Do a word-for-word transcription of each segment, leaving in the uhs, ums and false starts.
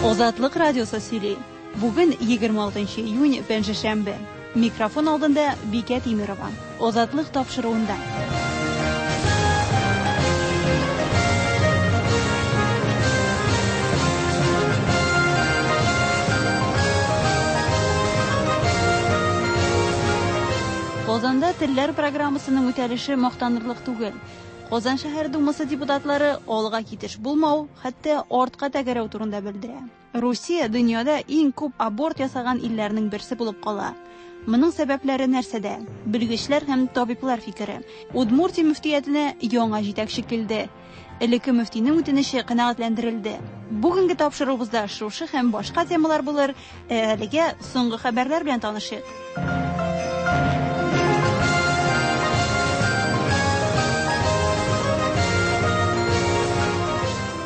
Азатлык радиосы сөйли. Бүген егерме алтынчы июнь, пәнҗешәмбе. Микрофон алдында Бикә Тимирова. Азатлык тапшыруында. Казанда телләр программасының үтәлеше мактанырлык түгел. Казан шәһәр думасы депутатлары алга китеш булмау, хәтта артка тәгәрәү турында белдерә. Русия дөньяда иң күп аборт ясаган илләрнең берсе булып кала. Моның сәбәпләре нәрсәдә? Белгечләр һәм табиблар фикере. Удмуртия мөфтиятенә яңа җитәкче килде. Элекке мөфтинең үтенече канәгатьләндерелде. Бүгенге тапшыруыбызда шушы һәм башка темалар булыр. Ә әлегә соңгы хәбәрләр белән танышыйк.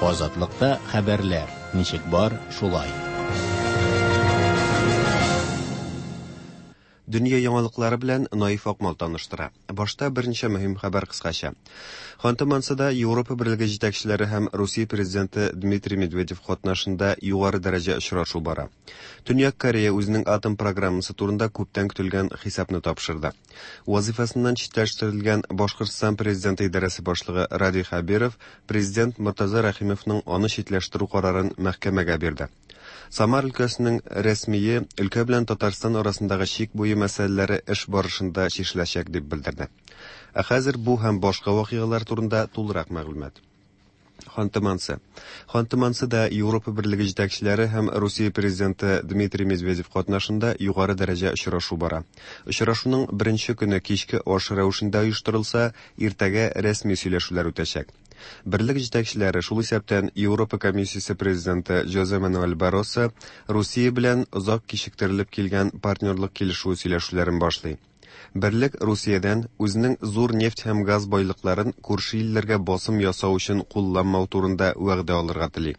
Азатлыкта хәбәрләр ничек бар, шулай. Дөнья яңалыклары белән Наиф Акмал таныштыра. Башта берничә мөһим хәбәр кыскача. Ханты-Мансида Европа Берлеге җитәкчеләре һәм Русия президенты Дмитрий Медведев катнашында югары дәрәҗә очрашу бара. Төньяк Корея үзенең атом программасы турында күптән көтелгән хисапны тапшырды. Вазифасыннан читләштерелгән Башкортстан президенты идарәсе башлыгы Радий Хәбиров президент Мортаза Рәхимовның аны читләштерү карарын мәхкәмәгә бирде. Самар өлкәсенең рәсмие өлкә белән Татарстан арасындагы чик буе мәсьәләләре эш барышында чишеләчәк дип белдерде. Ә хәзер бу һәм башка вакыйгалар турында тулырак мәгълүмат. Ханты-Мансы. Ханты-Мансида Европа Берлеге җитәкчеләре һәм Русия президенты Дмитрий Медведев катнашында югары дәрәҗә очрашу бара. Очрашуның беренче көне кичке аш рәвешендә оештырылса, иртәгә рәсми сөйләшүләр үтәчәк. Берлек җитәкчеләре, шул исәптән Европа комиссиясе президенты Жозе Мануэль Барросо, Русия белән озак кичектерелеп килгән партнерлык килешүе сөйләшүләрен башлый. Берлек Русиядән үзенең зур нефть һәм газ байлыкларын күрше илләргә басым ясау өчен кулланмау турында вәгъдә алырга тели.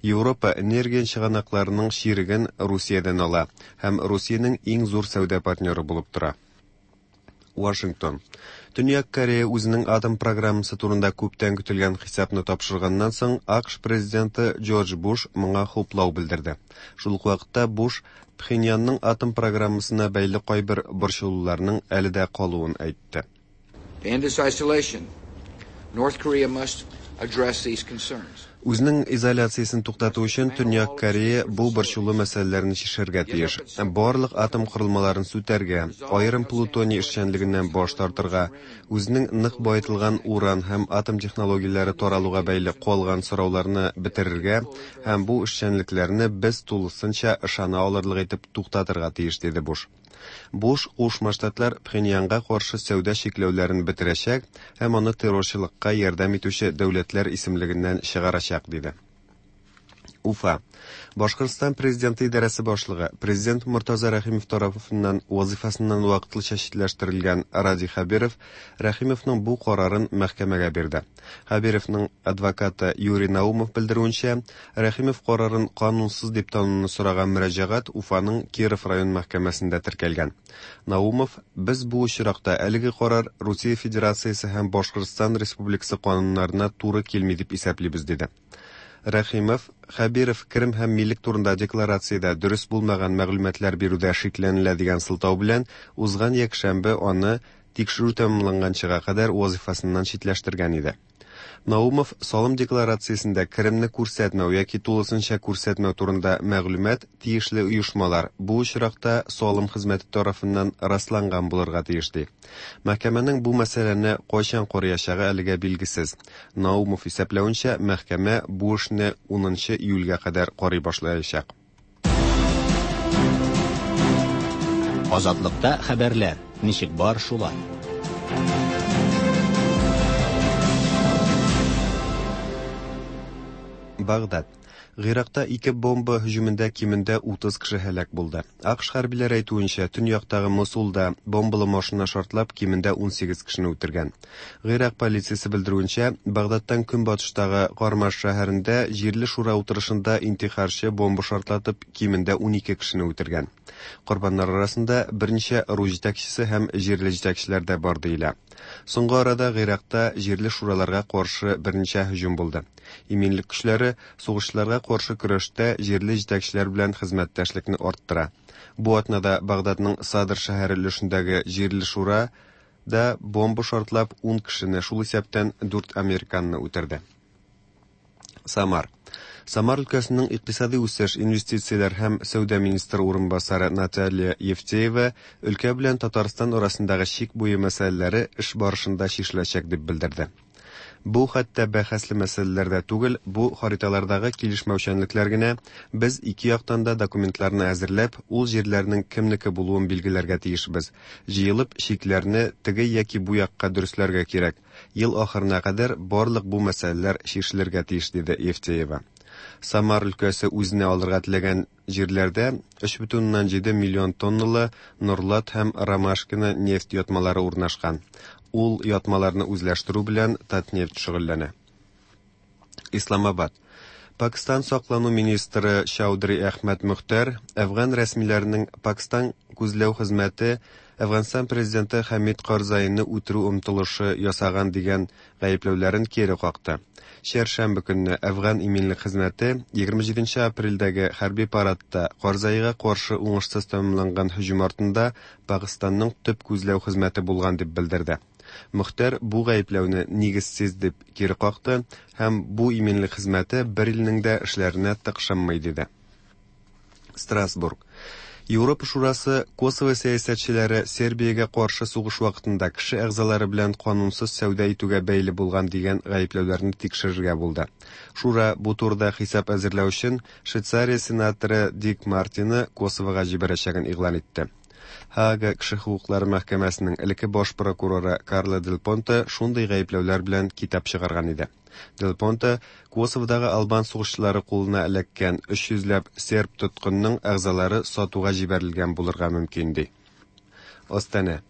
Европа энергия чыганакларының чиреген Русиядән ала һәм Русиянең иң зур сәүдә партнеры булып тора. Вашингтон. Төньяк Корея үзенең атом программасы турында күптән көтелгән хисапны тапшырганнан соң, АКШ президенты Джордж Буш моңа хуплау белдерде. Шул ук вакытта Буш Пхеньянның атом программасына бәйле кайбер борчылуларның әле дә калуын әйтте. To end its isolation, North Korea must address these concerns. Үзенең изоляциясен туктату өчен Төньяк Корея бу борчулы мәсьәләләрне чишәргә тиеш. Барлык атом корылмаларын сүтәргә, аерым плутоний эшчәнлегеннән баш тартырга, үзенең нык байытылган уран һәм атом технологияләре таралуга бәйле калган сорауларны бетерергә һәм бу эшчәнлекләрне без тулысынча ышана алырлык итеп туктатырга тиеш, диде Буш. Буш Кушма Штатлар Пхеньянга каршы сәүдә чикләүләрен бетерәчәк һәм аны террорчылыкка ярдәм итүче дәүләтләр исемлегеннән чыгарачак, диде. Уфа. Башкортстан президенты идарәсе башлыгы, президент Мортаза Рәхимов тарафыннан вазифасыннан вакытлыча читләштерелгән Радий Хәбиров Рәхимовның бу карарын мәхкәмәгә бирде. Хәбировның адвокаты Юрий Наумов белдерүенчә, Рәхимов карарын канунсыз дип тануны сораган мөрәҗәгать Уфаның Киров район мәхкәмәсендә теркәлгән. Наумов, без бу очракта әлеге карар Русия Федерациясе һәм Башкортстан Республикасы кануннарына туры килми дип исәплибез, диде. Рәхимов, Хәбиров керем һәм милек турында декларациядә дөрес булмаган мәгълүматлар бирүдә шикләнелә дигән сылтау белән узган якшәмбе аны тикшерү тәмамланганчыга кадәр вазифасыннан читләштергән иде. Наумов салым декларациясендә керемне күрсәтмәү яки тулысынча күрсәтмәү турында мәгълүмат тиешле оешмалар, бу очракта салым хезмәте тарафыннан расланган булырга тиеш, ди. Мәхкәмәнең бу мәсьәләне кайчан караячагы әлегә билгесез. Наумов исәпләвенчә, мәхкәмә бу эшне унынчы июльгә кадәр карый башлаячак. Азатлыкта хәбәрләр ничек бар, шулай. Багдад. Гыйракта ике бомба һөҗүмендә кимендә утыз кеше һәлак булды. АКШ хәрбиләре әйтүенчә, төньяктагы Мосулда бомбалы машина шартлап кимендә унсигез кешене үтергән. Гыйрак полициясе белдерүенчә, Багдадтан көнбатыштагы Кармаш шәһәрендә җирле шура утырышында интихарчы бомба шартлатып кимендә унике кешене үтергән. Корбаннар арасында берничә ыру җитәкчесе һәм җирле җитәкчеләр дә бар диелә. Соңгы арада Гыйракта җирле шураларга каршы берничә һөҗүм булды. Иминлек көчләре сугышчыларга каршы көрәштә җирле җитәкчеләр белән хезмәттәшлекне арттыра. Бу атнада Багдадның Садр шәһәре өлешендәге җирле шура да бомба шартлап ун кешене, шул исәптән дүрт американны үтерде. Самар. Самар өлкәсенең икътисади үсеш, инвестицияләр һәм сәүдә министры урынбасары Наталья Евтеева өлкә белән Татарстан арасындагы чик буе мәсьәләләре эш барышында чишеләчәк дип белдерде. Бу хәтта бәхәсле мәсьәләләр дә түгел, бу хариталардагы килешмәүчәнлекләр генә. Без ике яктан да документларны әзерләп, ул җирләрнең кемнеке булуын билгеләргә тиешбез. Җыелып, чикләрне теге яки бу якка дөресләргә кирәк. Ел ахырына кадәр барлык бу мәсьәләләр чишелергә тиеш, диде Евтеева. Самар өлкәсе үзенә алырга теләгән җирләрдә өч бөтен уннан җиде миллион тонналы Норлат һәм Ромашкино нефть ятмалары урнашкан. Ул ятмаларны үзләштерү белән Татнефть шөгыльләнә. Исламабад. Пакистан саклану министры Чаудри Әхмәд Мөхтәр Әфган рәсмиләренең Пакистан күзләү хезмәте Әфганстан президенты Хәмид Карзайны үтерү омтылышы ясаган дигән гаепләүләрен кире какты. Чәршәмбе көнне Әфган иминлек хезмәте егерме җиденче апрельдәге хәрби парадта Карзайга каршы уңышсыз тәмамланган һөҗүм артында Пакистанның төп күзләү хезмәте булган дип белдерде. Мөхтәр бу гаепләүне нигезсез дип кире какты һәм бу иминлек хезмәте бер илнең дә эшләренә тыкшынмый диде. Страсбург. Европа Шурасы Косово сәясәтчеләре Сербиягә каршы сугыш вакытында кеше әгъзалары белән канунсыз сәүдә итүгә бәйле булган дигән гаепләүләрне тикшерергә булды. Шура бу турыда хисап әзерләү өчен Швейцария сенаторы Дик Мартины Косовога җибәрәчәген игълан итте. Һаага кеше хокуклары мәхкәмәсенең элекке баш прокуроры Карло Дель Понте шундый гаепләүләр белән китап чыгарган иде. Дель Понте Косоводагы албан сугышчылары кулына эләккән өч йөзләп серб тоткынның әгъзалары сатуга җибәрелгән булырга мөмкин ди. Астана.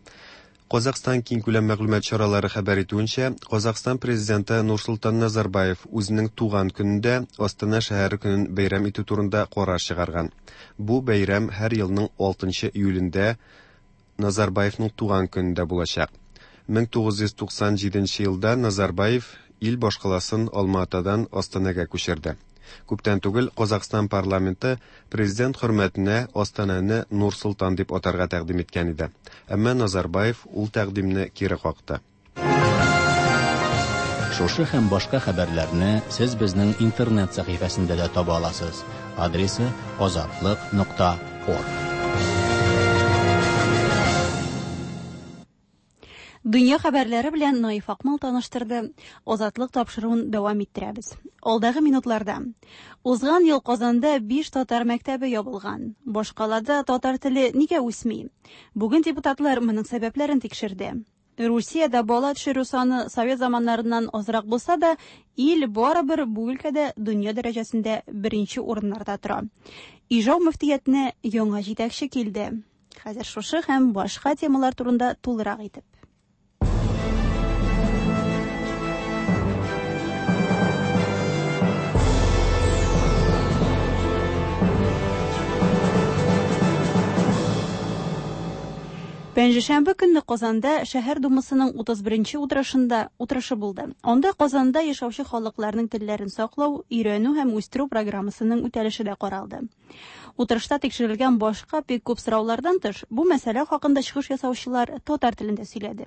Казахстан киңкүләм мәгълүмат чаралары хәбәр итүенчә, Казахстан президенты Нурсултан Назарбаев үзенең туган көнендә Астана шәһәре көнен бәйрәм итү турында карар чыгарган. Бу бәйрәм һәр елның алтынчы июлендә Назарбаевның туган көнендә булачак. мең тугыз йөз туксан җиденче елда Назарбаев ил башкаласын Алматыдан Астанага күчерде. Күптән түгел Казахстан парламенты президент хөрмәтенә Астананы Нур-Солтан дип атарга тәкъдим иткән иде. Әмма Назарбаев ул тәкъдимне кире какты. Шушы һәм башка хәбәрләрне сез безнең интернет сәхифәсендә дә таба аласыз. Адресы азатлык нокта орг. Дөнья хәбәрләре белән Наиф Акмал таныштырды. Азатлык тапшыруын дәвам иттерәбез. Алдагы минутларда. Узган ел Казанда биш татар мәктәбе ябылган. Башкалада татар теле нигә үсми? Бүген депутатлар моның сәбәпләрен тикшерде. Русиядә бала төшерү саны совет заманнарыннан азрак булса да, ил барыбер бу өлкәдә дөнья дәрәҗәсендә беренче урыннарда тора. Ижау мөфтиятенә яңа җитәкче килде. Хәзер шушы һәм башка темалар турында тулырак итеп. Пәнҗешәмбе көнне Казанда шәһәр думасының утыз беренче утырышында утырышы булды. Анда Казанда яшәүче халыкларның телләрен саклау, өйрәнү һәм үстерү программасының үтәлеше дә каралды. Утырышта тикшерелгән башка бик күп сораулардан тыш, бу мәсьәлә хакында чыгыш ясаучылар татар телендә сөйләде.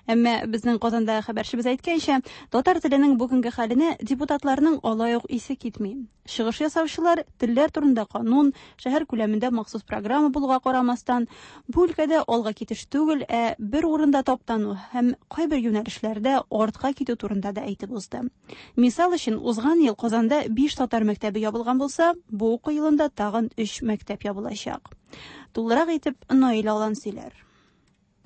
Әмма безнең Казанда хәбәрчебез әйткәнчә, татар теленең бүгенге хәленә депутатларның алай ук исе китми. Чыгыш ясаучылар телләр турында канун, шәһәр күләмендә махсус программа булуга карамастан, бу өлкәдә алга китеш түгел, ә бер урында таптану һәм кайбер юнәлешләрдә артка китү турында да әйтеп узды. Мисал өчен, узган ел Казанда биш татар мәктәбе ябылган булса, бу уку елында тагын өч мәктәп ябылачак. Тулырак итеп Наил Алан сөйләр.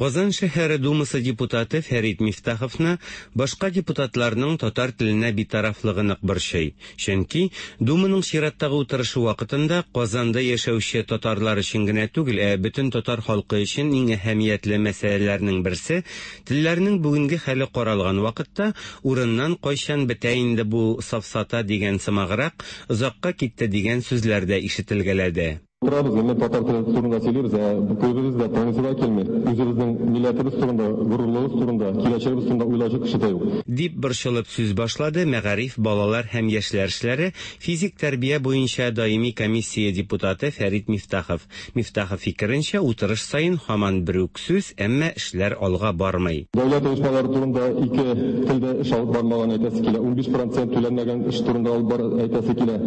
Казан шәһәре думасы депутаты Фәрит Мифтаховны башка депутатларның татар теленә битарафлыгы нык борчый. Чөнки думаның чираттагы утырышы вакытында Казанда яшәүче татарлар өчен генә түгел, ә бөтен татар халкы өчен иң әһәмиятле мәсьәләләрнең берсе телләрнең бүгенге хәле каралган вакытта урыннан кайчан бетә инде бу сафсата дигән сымаграк озакка китте дигән сүзләр дә ишетелгәләде. Утырабыз, менә татар теле турында сөйлибез, ә күбебез дә тыңлыйсы да килми. Үзебезнең милләтебез турында, горурлыгыбыз турында, киләчәгебез турында уйлаучы кеше дә юк. Дип борчылып сүз башлады мәгариф, балалар һәм яшьләр эшләре, физик тәрбия буенча даими комиссия депутаты Фәрит Мифтахов. Мифтахов фикеренчә, утырыш саен һаман бер үк сүз, әмма эшләр алга бармый. Дәүләт оешмалары турында ике телдә эш алып бармаган әйтәсе килә, унбиш процент түләнмәгән эш турында алып бар әйтәсе килә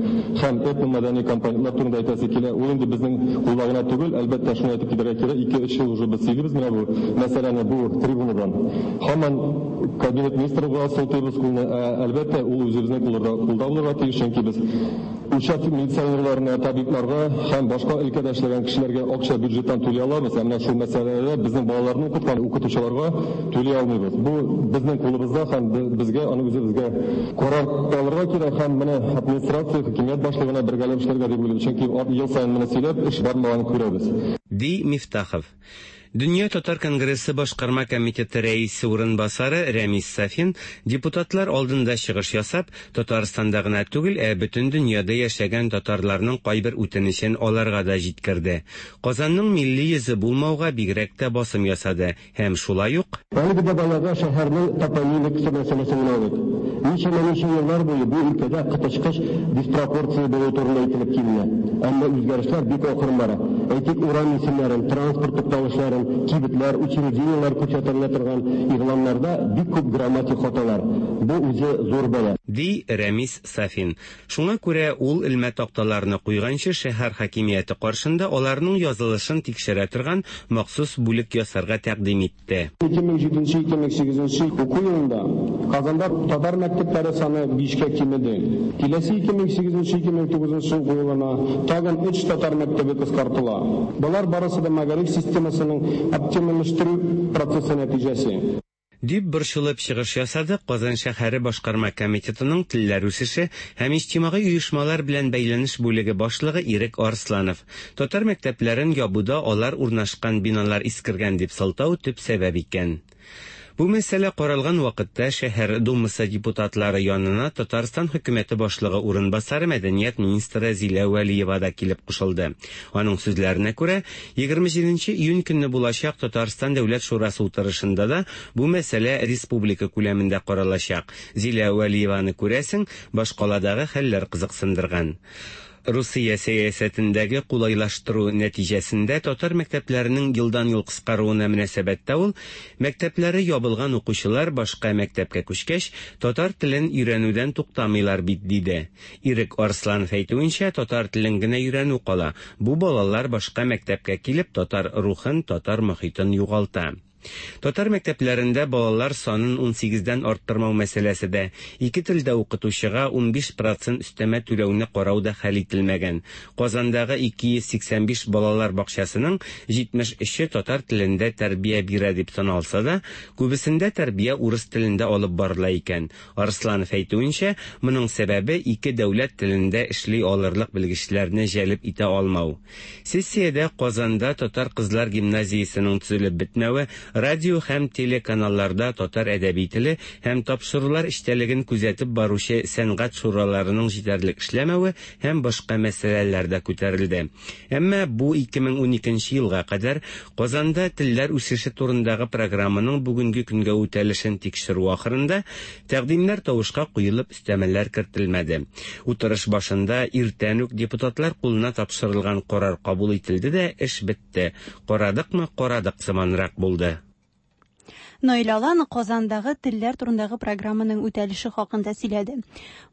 һәм этномәдәни компонентлар турында әйтәсе килә. Ул инде безнең кулда гына түгел, әлбәттә, шуны әйтеп китәргә кирәк, ике-өч ел уже без сөйлибез менә бу мәсьәләне бу трибунадан. Һаман кабинет министрга сылтыйбыз кулны, ә, әлбәттә, ул үзебезнең кулларда кулда булырга тиеш, чөнки без участок милиционерларына, табибларга һәм башка өлкәдә эшләгән кешеләргә акча бюджеттан түли алабыз, ә менә шул мәсьәләдә безнең балаларны укыткан укытучыларга түли алмыйбыз. Бу безнең кулыбызда һәм безгә аны үзебезгә карар алырга кирәк һәм менә администрация, хакимият башлыгына бергәләп эшләргә дип уйлыйм, чөнки ел саен моны сөйләп эш бармаганын күрәбез. Ди Мифтахов. Дөнья татар конгрессы башкарма комитеты рәисе урынбасары Рәмис Сафин депутатлар алдында чыгыш ясап, Татарстанда гына түгел, ә бөтен дөньяда яшәгән татарларның кайбер үтенечен аларга да җиткерде. Казанның милли йөзе булмауга бигрәк тә басым ясады һәм шулай ук Әлеге дә баягы шәһәрнең топонимикасы мәсьәләсен генә алыйк. Ничәмә-ничә еллар буе бу өлкәдә коточкыч диспропорция булу турында әйтелеп киленә. Әмма үзгәрешләр бик акрын бара. Әйтик, урам исемнәрен, транспорт тукталышларын, кибетләр, учреждениеләр күрсәтелә торган игъланнарда бик күп грамматик хаталар. Бу үзе зур бәла. Ди Рәмис Сафин. Шуңа күрә ул элмә такталарны куйганчы шәһәр хакимияте каршында аларның язылышын тикшерә торган махсус бүлек ясарга тәкъдим итте. ике мең җиденче ике мең сигезенче уку елында Казанда татар мәктәпләре саны бишкә кимеде. Киләсе ике мең сигезенче ике мең тугызынчы уку елына тагын өч татар мәктәбе кыскартыла. Болар барысы да мәгариф системасының оптимальләштерү процессы нәтиҗәсе. Дип борчылып чыгыш ясады Казан шәһәре башкарма комитетының телләр үсеше һәм иҗтимагый оешмалар белән бәйләнеш бүлеге башлыгы Ирек Арсланов. Татар мәктәпләрен ябуда алар урнашкан биналар искергән дип сылтау төп сәбәп икән. Бу мәсьәлә каралган вакытта шәһәр думасы депутатлары янына Татарстан хөкүмәте башлыгы урынбасары мәдәният министры Зилә Вәлиева да килеп кушылды. Аның сүзләренә күрә, егерме җиденче июнь көнне булачак Татарстан Дәүләт Шурасы утырышында да бу мәсьәлә республика күләмендә каралачак. Зилә Вәлиеваны күрәсең, башкаладагы хәлләр кызыксындырган. Русия сәясәтендәге кулайлаштыру нәтиҗәсендә татар мәктәпләренең елдан-ел кыскаруына мөнәсәбәттә ул, мәктәпләре ябылган укучылар башка мәктәпкә күчкәч, татар телен өйрәнүдән туктамыйлар бит, диде. Ирек Арсланов әйтүенчә, татар телен генә өйрәнү кала. Бу балалар башка мәктәпкә килеп татар рухын, татар мохитын югалта. Татар мәктәпләрендә балалар санын ун сигездән арттырмау мәсьәләсе дә, ике телдә укытучыга унбиш процент өстәмә түләүне карау да хәл ителмәгән. Казандагы ике йөз сиксән биш балалар бакчасының җитмеш өче татар телендә тәрбия бирә дип саналса да, күбесендә тәрбия урыс телендә алып барыла икән. Арсланов әйтүенчә, моның сәбәбе ике дәүләт телендә эшли алырлык белгечләрне җәлеп итә алмау. Сессиядә Казанда татар кызлар гимназиясенең төзелеп бетмәве, радио һәм телеканалларда татар әдәби теле һәм тапшырулар эчтәлеген күзәтеп баручы сәнгать шураларының җитәрлек эшләмәве һәм башка мәсьәләләр дә күтәрелде. Әмма бу ике мең уникенче елга кадәр Казанда телләр үсеше турындагы программаның бүгенге көнгә үтәлешен тикшерү ахырында тәкъдимнәр тавышка куелып өстәмәләр кертелмәде. Утырыш башында иртән үк депутатлар кулына тапшырылган карар кабул ителде дә эш бетте. Карадыкмы, карадык сыманрак булды. Наил Алан Казандагы телләр турындагы программаның үтәлеше хакында сөйләде.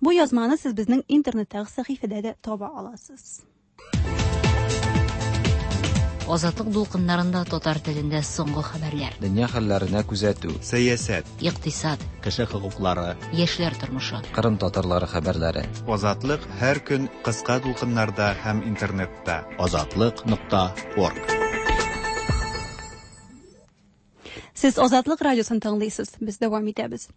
Бу язманы сез безнең интернеттагы сәхифәдә дә таба аласыз. Азатлык дулкыннарында татар телендә соңгы хәбәрләр. Дөнья хәлләренә күзәтү. Сәясәт. Икътисад. Кеше хокуклары. Яшьләр тормышы. Кырым татарлары хәбәрләре. Азатлык һәр көн кыска дулкыннарда һәм интернетта. Азатлык нокта орг. Сез Азатлык радиосын тыңлыйсыз. Без дәвам итәбез.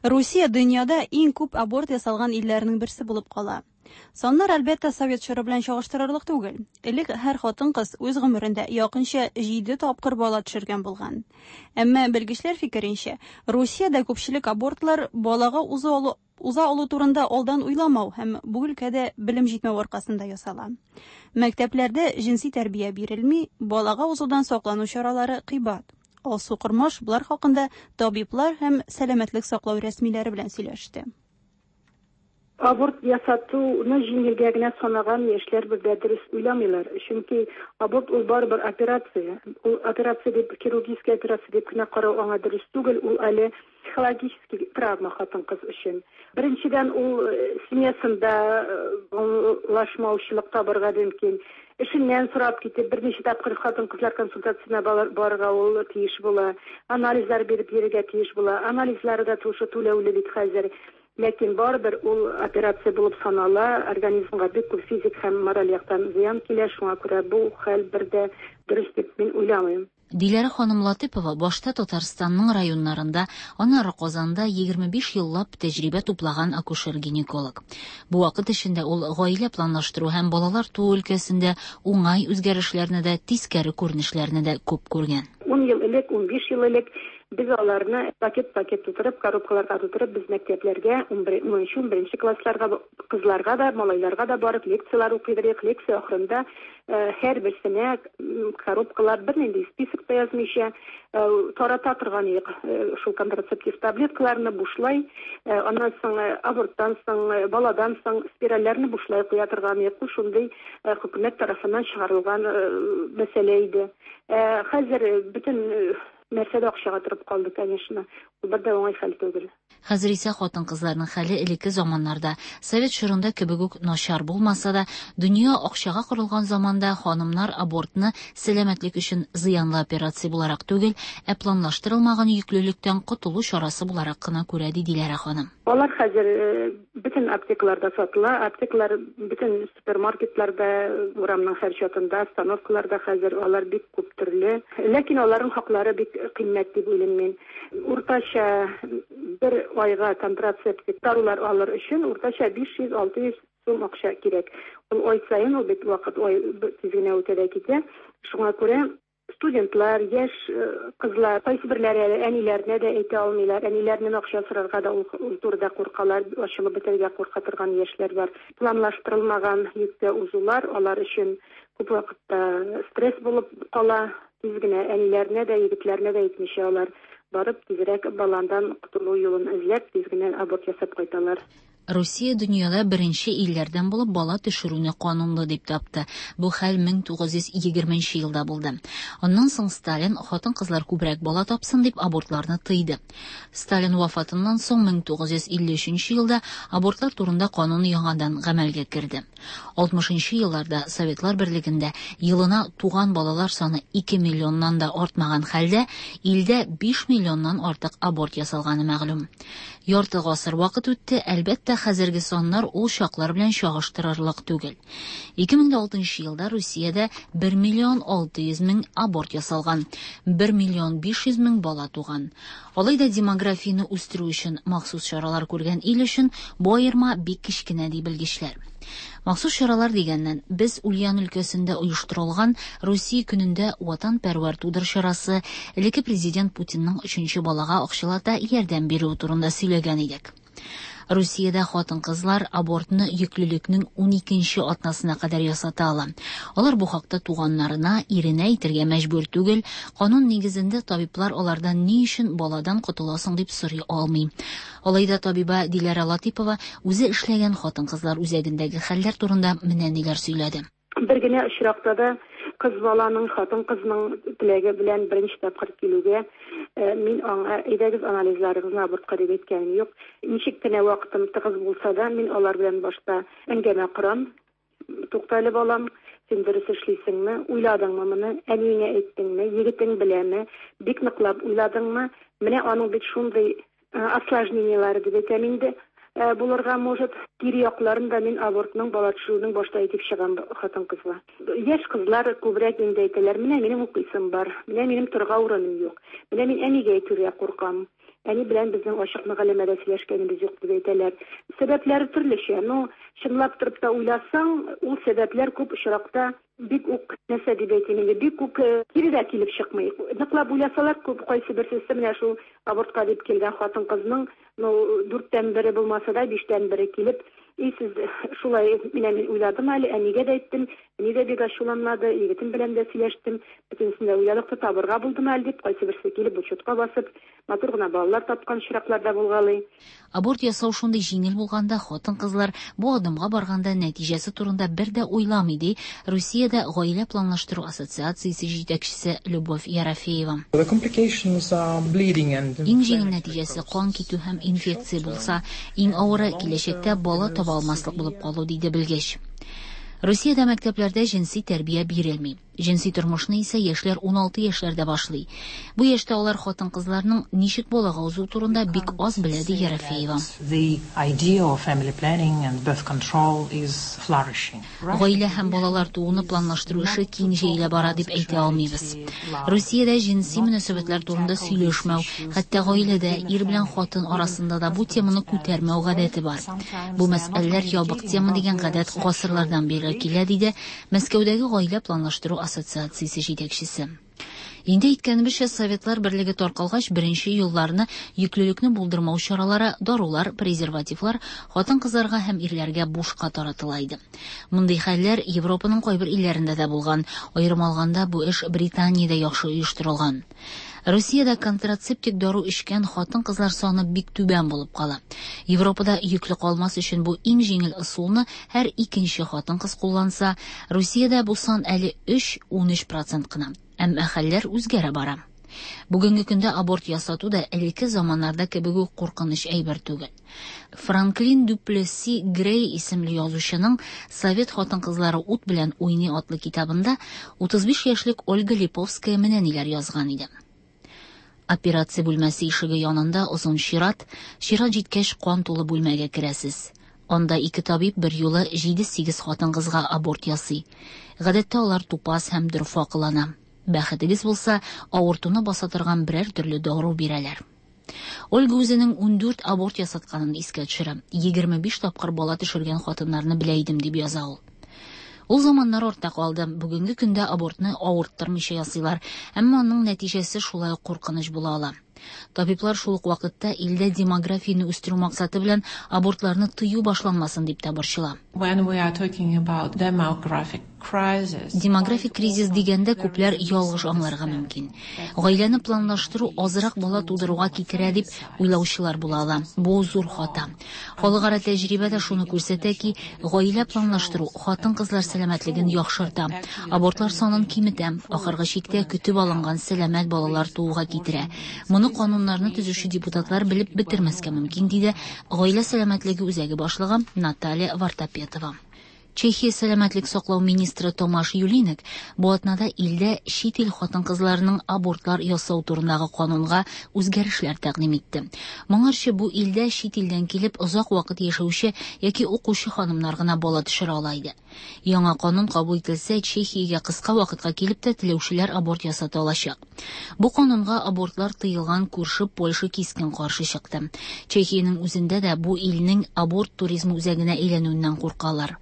Русия дөньяда иң күп аборт ясалган илләрнең берсе булып кала. Саннар, әлбәттә, совет чоры белән чагыштырырлык түгел. Элек һәр хатын-кыз үз гомерендә якынча җиде тапкыр бала төшергән булган. Әмма белгечләр фикеренчә, Русиядә күпчелек абортлар балага уза алу, уза алу турында алдан уйламау һәм бу өлкәдә белем җитмәү аркасында ясала. Мәктәпләрдә җенси тәрбия бирелми, балага узудан саклану чаралары кыйбат. Алсу Кормаш болар хакында табиблар һәм сәламәтлек саклау рәсмиләре белән сөйләште. Аборт ясатуны җиңелгә генә санаган яшьләр бер дә дөрес уйламыйлар. Чөнки аборт ул барыбер операция. Ул операция дип, хирургическая операция дип кенә карау аңа дөрес түгел, ул әле психологический травма хатын-кыз өчен. Беренчедән, ул семьясында аңлашмаучылык табарга мөмкин. Эшеннән сорап китеп, берничә тапкыр хатын-кызлар консультациясенә барырга ул тиеш була. Анализлар биреп йөрергә тиеш була. Анализлары да шушы түләүле бит хәзер. Ләкин барыбер ул операция булып санала, организмга бик күп физик һәм мораль яктан зыян килә, шуңа күрә бу хәл бер дә дөрес дип мин уйламыйм. Диләрә ханым Латыпова башта Татарстанның районнарында, аннары Казанда егерме биш еллап тәҗрибә туплаган акушер-гинеколог. Бу вакыт эчендә ул гаилә планлаштыру һәм балалар туу өлкәсендә уңай үзгәрешләрне дә, тискәре күренешләрне дә күп күргән. Ун ел элек, унбиш ел элек без аларны пакет-пакет тутырып, коробкаларга тутырып, без мәктәпләргә, унынчы, унберенче классларга, кызларга да, малайларга да барып лекциялар укыйдык. Лекция ахырында һәрберсенә коробкалар, бернинди список та язмыйча, тарата торган идек шул контрацептив таблеткаларны бушлай, аннан соң аборттан соң, баладан соң спиральләрне бушлай куя торган идек. Бу шундый хөкүмәт тарафыннан чыгарылган мәсьәлә иде. Хәзер бөтен нәрсә дә акчага торып калды, конечно. Ул бер дә уңай хәл түгел. Хәзер исә хатын-кызларның хәле элекке заманнарда, совет чорында кебек үк начар булмаса да, дөнья акчага корылган заманда ханымнар абортны сәламәтлек өчен зыянлы операция буларак түгел, ә планлаштырылмаган йөклелектән котылу чарасы буларак кына күрә, ди Диләрә ханым. Алар хәзер бөтен аптекаларда сатыла, аптекалар бөтен супермаркетларда, урамның һәр чатында, остановкаларда хәзер алар бик күп төрле. Ләкин аларның хаклары бик кыйммәт дип уйлыйм мин. Уртача бер айга контрацептик дарулар алыр өчен уртача биш йөз алты йөз сум акча кирәк. Ул ай саен, ул бит вакыт ай тиз генә үтә дә китә. Шуңа күрә студентлар, яшь кызлар, кайсы берләре әле әниләренә дә әйтә алмыйлар. Әниләреннән акча сорарга да ул, ул турыда куркалар, ачылып бетәргә курка торган яшьләр бар. Планлаштырылмаган йөккә узулар алар өчен күп вакытта стресс булып кала. Тиз генә әниләренә дә, егетләренә дә әйтмичә алар барып тизрәк баландан котылу юлын эзләп, тиз генә аборт ясап кайталар. Русия дөньяда беренче илләрдән булып бала төшерүне канунлы дип тапты. Бу хәл мең тугыз йөз егерменче елда булды. Аннан соң Сталин хатын-кызлар күбрәк бала тапсын дип абортларны тыйды. Сталин вафатыннан соң мең тугыз йөз илле өченче елда абортлар турында канун яңадан гамәлгә керде. Алтмышынчы елларда Советлар Берлегендә елына туган балалар саны ике миллионнан да артмаган хәлдә илдә биш миллионнан артык аборт ясалганы мәгълүм. Ярты гасыр вакыт үтте, әлбәттә, хәзерге саннар ул чаклар белән чагыштырырлык түгел. Ике мең алтынчы елда Русиядә бер миллион алты йөз мең аборт ясалган, бер миллион биш йөз мең бала туган. Алай да демографияне үстерү өчен махсус чаралар күргән ил өчен бу аерма бик кечкенә, ди белгечләр. Махсус чаралар дигәннән, без Ульян өлкәсендә оештырылган Русия көнендә ватанпәрвәр тудыр чарасы элекке президент Путинның өченче балага акчалата ярдәм бирүе турында сөйләгән идек. Русиядә хатын-кызлар абортны йөклелекнең уникенче атнасына кадәр ясата ала. Алар бу хакта туганнарына, иренә әйтергә мәҗбүр түгел. Канун нигезендә табиблар алардан ни өчен баладан котыласың дип сорый алмый. Алай да табиба Диләрә Латыпова үзе эшләгән хатын-кызлар үзәгендәге хәлләр турында менә ниләр сөйләде. Бер генә очракта да кыз баланың, хатын-кызның теләге белән беренче тапкыр килүгә, э, мин аңа әйдәгез анализларыгызны абортка дип әйткәнем юк. Ничек кенә вакытым тыгыз булса да, мин алар белән башта әңгәмә корам. Туктале, балам, син дөрес эшлисеңме? Уйладыңмы моны? Әниеңә әйттеңме? Егетең беләме? Бик ныклап уйладыңмы? Менә аның бит шундый, э, осложнениеләре дип әйтәм инде. булырга может. Кире якларын да мин абортның, бала төшерүнең башта әйтеп чыгам хатын-кызга. Яшь кызлар күбрәк инде әйтәләр, менә минем укыйсым бар, менә минем торырга урыным юк, менә мин әнигә әйтергә куркам. Әни белән безнең ачык мөгаләмәдә сөйләшкәнебез юк дип әйтәләр. Сәбәпләре төрлечә. Ну, чынлап торып та уйласаң, ул сәбәпләр күп очракта бик үк, нәрсә дип әйтим инде, бик үк кире дә килеп чыкмый. Ныклап уйласалар, күп кайсы берсе менә шул абортка дип килгән хатын-кызның, ну, дүрттән бере булмаса да, биштән бере килеп, и сез шулай, менә мин уйладым әле, әнигә дә әйттем, әни дә бик ачуланмады, егетем белән дә сөйләштем, бөтенесен дә уйладык та табырга булдым әле дип, кайсы берсе килеп учетка басып, матур гына балалар тапкан очраклар да булгалый. Аборт ясау шундый җиңел булганда, хатын-кызлар бу адымга барганда нәтиҗәсе турында бер дә уйламый, ди Русиядә гаилә планлаштыру ассоциациясе җитәкчесе Любовь Ерофеева. Иң җиңел нәтиҗәсе кан китү һәм инфекция булса, иң авыры киләчәктә бала таба алмаслык булып калу, диде белгеч. Русиядә мәктәпләрдә җенси тәрбия бирелми. Җенси тормышны исә яшьләр ун алты яшьләрдә башлый. Бу яшьтә алар хатын-кызларның ничек балага узу турында бик аз белә, ди Ерофеева. Гаилә һәм балалар тууны планлаштыру эше киң җәелә бара дип әйтә алмыйбыз. Русиядә җенси мөнәсәбәтләр турында сөйләшмәү, хәтта гаиләдә ир белән хатын арасында да бу теманы күтәрмәү гадәте бар. Бу мәсьәләләр ябык тема дигән гадәт гасырлардан бирле килә, диде Мәскәүдәге гаилә планлаштыру ассоциациясе җитәкчесе. Инде әйткәнебезчә, Советлар берлеге таркалгач, беренче елларны йөклелекне булдырмау чаралары, дарулар, презервативлар хатын-кызларга һәм ирләргә бушка таратыла иде. Мондый хәлләр Европаның кайбер илләрендә дә булган. Аерым алганда, бу эш Британиядә яхшы оештырылган. Русиядә контрацептик дару эчкән хатын-кызлар саны бик түбән булып кала. Европада йөкле калмас өчен бу иң җиңел ысулны һәр икенче хатын-кыз кулланса, Русиядә бу сан әле өч ун өч процент кына. Әмма хәлләр үзгәрә бара. Бүгенге көндә аборт ясату да элекке заманнарда кебек үк куркыныч әйбер түгел. Франклин Дюплесси Грей исемле язучының Совет хатын-кызлары ут белән уйный атлы китабында утыз биш яшьлек Ольга Липовская менә ниләр язган иде. Операция бүлмәсе ишеге янында озын чират, чират җиткәч кан тулы бүлмәгә керәсез. Анда ике табиб бер юлы җиде-сигез хатын-кызга аборт ясый. Гадәттә алар тупас һәм дорфа кылана. Бәхетегез булса, авыртуны баса торган берәр төрле дару бирәләр. Ольга үзенең ундүрт аборт ясатканын искә төшерә. Егерме биш тапкыр бала төшергән хатыннарны белә идем, дип яза ул. Ул заманнар артта калды. Бүгенге көндә абортны авырттырмыйча ясыйлар, әмма аның нәтиҗәсе шулай ук куркыныч була ала. Табиблар шул ук вакытта илдә демографияне үстерү максаты белән абортларны тыю башланмасын дип тә борчыла. Демографик кризис дигәндә күпләр ялгыш аңларга мөмкин. Гаиләне планлаштыру азрак бала тудыруга китерә дип уйлаучылар була ала. Бу зур хата. Халыкара тәҗрибә дә шуны күрсәтә ки, гаилә планлаштыру хатын-кызлар сәламәтлеген яхшырта, абортлар санын киметә, ахыргы чиктә көтеп алынган сәламәт балалар тууга китерә. Моны кануннарны төзүче депутатлар белеп бетермәскә мөмкин, диде Гаилә сәламәтлеге үзәге башлыгы Наталья Вартапетова. Чехия сәламәтлек саклау министры Томаш Юлинек бу атнада илдә чит ил хатын-кызларының абортлар ясау турындагы канунга үзгәрешләр тәкъдим итте. Моңарчы бу илдә чит илдән килеп озак вакыт яшәүче яки укучы ханымнар гына бала төшерә ала иде. Яңа канун кабул ителсә, Чехиягә кыска вакытка килеп тә теләүчеләр аборт ясата алачак. Бу канунга абортлар тыелган күрше Польша кискен каршы чыкты. Чехиянең үзендә дә бу илнең аборт туризмы үзәгенә әйләнүеннән куркалар.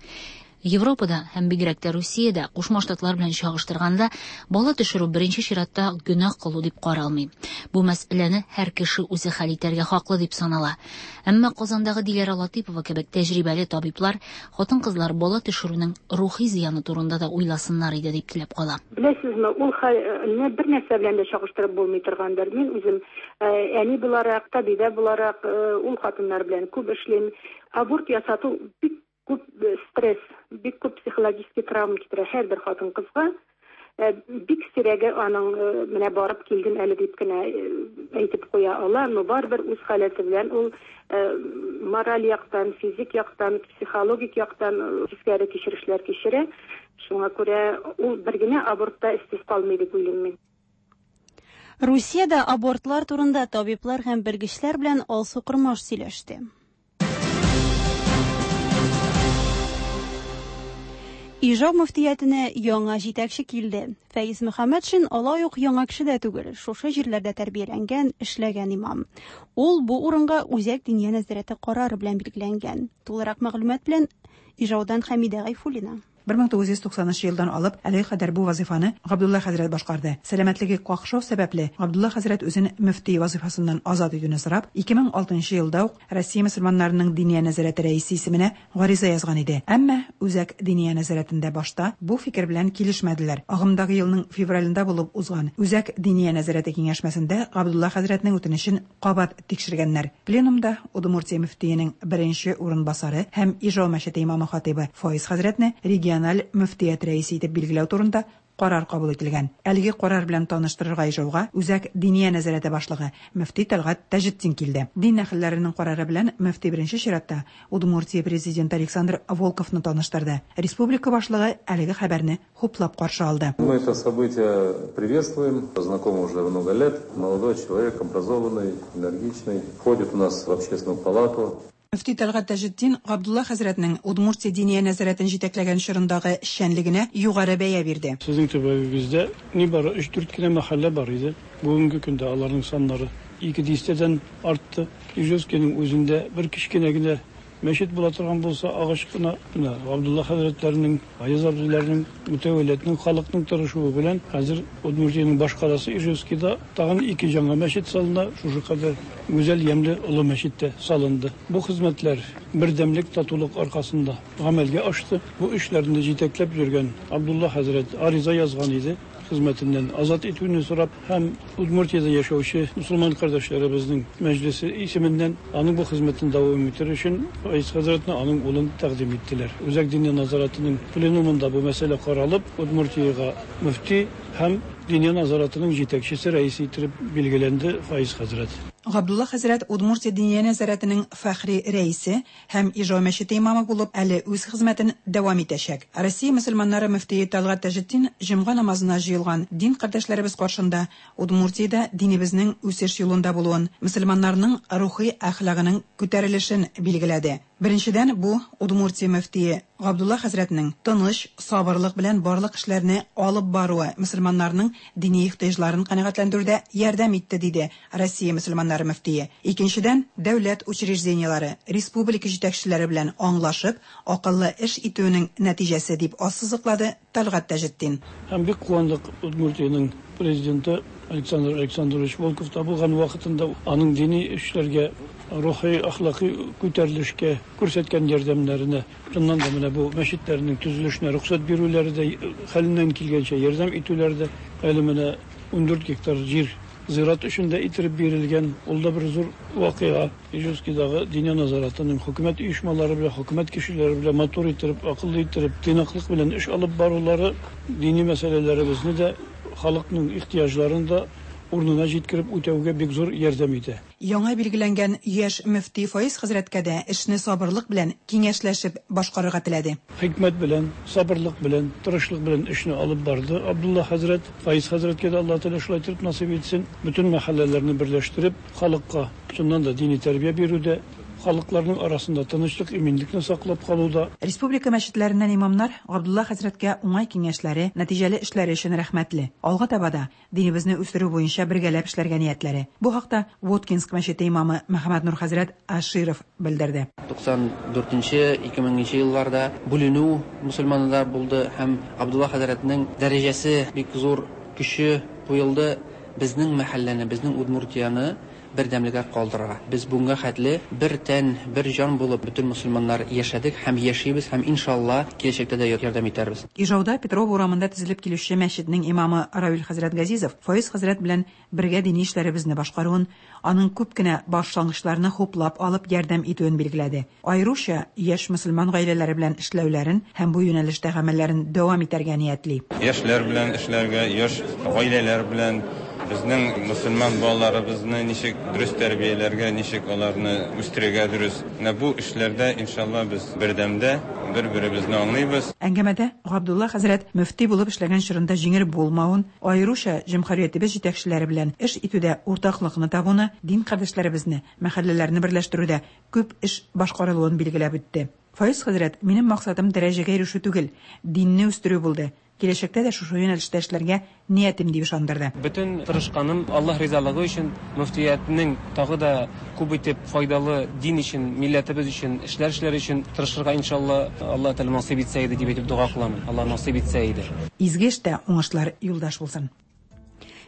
Европада һәм бигрәк тә Русиядә Кушма Штатлар белән чагыштырганда бала төшерү беренче чиратта гөнаһ кылу дип каралмый. Бу мәсьәләне һәр кеше үзе хәл итәргә хаклы дип санала. Әмма Казандагы Диләрә Латыпова кебек тәҗрибәле табиблар хатын-кызлар бала төшерүнең рухи зыяны турында да уйласыннар иде дип теләп кала. Беләсезме, ул хәлне бер нәрсә белән дә чагыштырып булмый торгандыр. Мин үзем әни буларак, табибә буларак ул хатыннар белән күп эшлим. Аборт ясату бик күп стресс, бик күп психологический травма китерә һәрбер хатын-кызга. Бик сирәге аның менә барып килдем әле дип кенә әйтеп куя ала, но барыбер үз халәте белән ул мораль яктан, физик яктан, психологик яктан тискәре кичерешләр кичерә. Шуңа күрә ул бер генә абортта эшсез калмый дип уйлыйм мин. Русиядә абортлар турында табиблар һәм белгечләр белән Алсу Кормаш сөйләште. Ижау мөфтиятенә яңа җитәкче килде. Фәиз Мөхәммәтшин алай ук яңа кеше дә түгел, шушы җирләрдә тәрбияләнгән, эшләгән имам. Ул бу урынга Үзәк Диния нәзарәте карары белән билгеләнгән. Тулырак мәгълүмат белән Ижаудан Хәмидә Гайфуллина. бер мең тугыз йөз туксанынчы елдан алып әлеге кадәр бу вазифаны Габдулла хәзрәт башкарды. Сәламәтлеге какшау сәбәпле, Габдулла хәзрәт үзен мөфти вазифасыннан азат итүне сорап, ике мең алтынчы елда ук Россия мөселманнарының Диния нәзарәте рәисе исеменә гариза язган иде. Әмма Үзәк Диния нәзарәтендә башта бу фикер белән килешмәделәр. Агымдагы елның февралендә булып узган Үзәк Диния нәзарәте киңәшмәсендә Габдулла хәзрәтнең үтенечен кабат тикшергәннәр. Пленумда Удмуртия мөфтиенең беренче урынбасары һәм Ижау мәчете имамы хатибы Фаиз хәзрәтне региональ мөфтият рәисе итеп билгеләү турында карар кабул ителгән. Әлеге карар белән таныштырырга Ижауга Үзәк Диния нәзарәте башлыгы мөфти Тәлгать Таҗетдин килде. Дин әһелләренең карары белән мөфти беренче чиратта Удмуртия президенты Александр Волковны таныштырды. Республика башлыгы әлеге хәбәрне хуплап каршы алды. Мы это событие приветствуем, знакомы уже много лет. Молодой человек, образованный, энергичный, входит у нас в общественную палату. Мөфти Тәлгать Таҗетдин Габдулла хәзрәтнең Удмуртия Диния нәзарәтен җитәкләгән чорындагы эшчәнлегенә югары бәя бирде. Сезнең төбәгегездә нибары өч-дүрт кенә мәхәллә бар иде. Бүгенге көндә аларның саннары ике дистәдән артты. Ижевскийның үзендә бер кечкенә генә мәчет була торган булса, агач кына, менә Габдулла хәзрәтләренең, Аяз абзыйларының, мөтәвәлләтнең, халыкның тырышуы белән хәзер Удмуртиянең башкаласы Ижевскийда тагын ике яңа мәчет салына, шушы кадәр гүзәл, ямьле олы мәчет тә салынды. Бу хезмәтләр бердәмлек, татулык аркасында гамәлгә ашты. Бу эшләрне җитәкләп йөргән Абдулла хәзрәт ариза язган иде, хезмәтеннән азат итүне сорап, һәм Удмуртиядә яшәүче мөселман кардәшләребезнең мәҗлесе исеменнән аның бу хезмәтен дәвам итәр өчен Фаиз хәзрәтне аның улын тәкъдим иттеләр. Үзәк Диния нәзарәтенең пленумында бу мәсьәлә каралып, Удмуртиягә мөфти һәм Диния нәзарәтенең җитәкчесе рәисе итеп билгеләнде Фаиз хәзрәт. Габдулла хәзрәт Удмуртия Диния нәзарәтенең фәхри рәисе һәм Ижау мәчете имамы булып әле үз хезмәтен дәвам итәчәк. Россия мөселманнары мөфтие Тәлгать Таҗетдин җомга намазына җыелган дин кардәшләребез каршында Удмуртиядә динебезнең үсеш юлында булуын, мөселманнарның рухи әхлагының күтәрелешен билгеләде. Беренчедән, бу Удмуртия мөфтие Габдулла хәзрәтнең тыныч, сабырлык белән барлык эшләрне алып баруы мөселманнарның дини ихтыяҗларын канәгатьләндерүдә ярдәм итте, диде Россия мөселманнары мөфтие. Икенчедән, дәүләт учреждениеләре, республика җитәкчеләре белән аңлашып, акыллы эш итүенең нәтиҗәсе дип ассызыклады Тәлгать Таҗетдин. Һәм бик куандык Удмуртиянең президенты Александр Александрович Волков та булган вакытында аның дини эшләргә, рухи, әхлакый күтәрелешкә күрсәткән ярдәмнәренә, чыннан да менә бу мәчетләрнең төзелешенә рөхсәт бирүләре дә, хәленнән килгәнчә ярдәм итүләре дә, әле менә ундүрт гектар җир зират өчен дә иттереп бирелгән, ул да бер зур вакыйга. Ижевскийдагы Диния нәзарәтенең хөкүмәт оешмалары белән, хөкүмәт кешеләре белән матур иттереп, акыллы иттереп, тыйнаклык белән эш алып барулары дини мәсьәләләребезне дә, халыкның ихтыяҗларын да урынына җиткереп үтәүгә бик зур ярдәм итә. Яңа билгеләнгән яшь мөфти Фаиз хәзрәткә дә эшне сабырлык белән киңәшләшеп башкарырга теләде. Хикмәт белән, сабырлык белән, тырышлык белән эшне алып барды Абдулла хәзрәт. Фаиз хәзрәткә дә Аллаһ Тәгалә шулай итеп насыйп итсен. Бөтен мәхәлләләрне берләштереп, халыкка чыннан да дини тәрбия бирүдә, халыкларның арасында тынычлык, иминлекне саклап калуда. Республика мәчетләреннән имамнар Габдулла хәзрәткә уңай киңәшләре, нәтиҗәле эшләре өчен рәхмәтле. Алга таба да динебезне үстерү буенча бергәләп эшләргә ниятләре. Бу хакта Воткинск мәчете имамы Мөхәммәднур хәзрәт Аширов белдерде. Туксан дүртенче, ике меңенче елларда бүленү мөселманнар булды һәм Габдулла хәзрәтнең дәрәҗәсе бик зур көче куелды. Безнең мәхәлләне, безнең Удмуртияне бердәмлегә калдырырга. Без бүгенге хәтле бер тән, бер җан булып бөтен мөселманнар яшәдек һәм яшибез һәм иншалла киләчәктә дә ярдәм итәрбез. Ижауда Петров урамында төзелеп килүче мәчетнең имамы Равил хәзрәт Газизов Фаиз хәзрәт белән бергә дини эшләребезне башкаруын, аның күп кенә башлангычларны хуплап алып ярдәм итүен билгеләде. Аеруча яшь мөселман гаиләләре белән эшләүләрен һәм бу юнәлештә гамәлләрен дәвам итәргә ниятли. Яшьләр белән эшләргә, яшь гаиләләр белән безнең мөселман балаларыбызны ничек дөрес тәрбияләргә, ничек аларны үстерергә дөрес. Менә бу эшләрдә иншалла без бердәмдә бер-беребезне аңлыйбыз. Әңгәмәдә Габдулла хәзрәт мөфти булып эшләгән чорында җиңел булмавын, аеруча җөмһүриятебез җитәкчеләре белән эш итүдә уртаклыкны табуны, дин кардәшләребезне, мәхәлләләрне берләштерүдә күп эш башкарылуын билгеләп үтте. Фаиз хәзрәт, минем максатым дәрәҗәгә ирешү түгел, динне үстерү булды. Киләчәктә дә шушы юнәлештә эшләргә ниятем, дип ышандырды. Бөтен тырышканым Аллаһ ризалыгы өчен, мөфтиятнең тагы да күп итеп файдалы дин өчен, милләтебез өчен эшләр эшләр өчен тырышырга иншалла Аллаһ Тәгалә насыйп итсә иде дип әйтеп дога кыламын. Аллаһ насыйп итсә иде. Изге эштә уңышлар юлдаш булсын.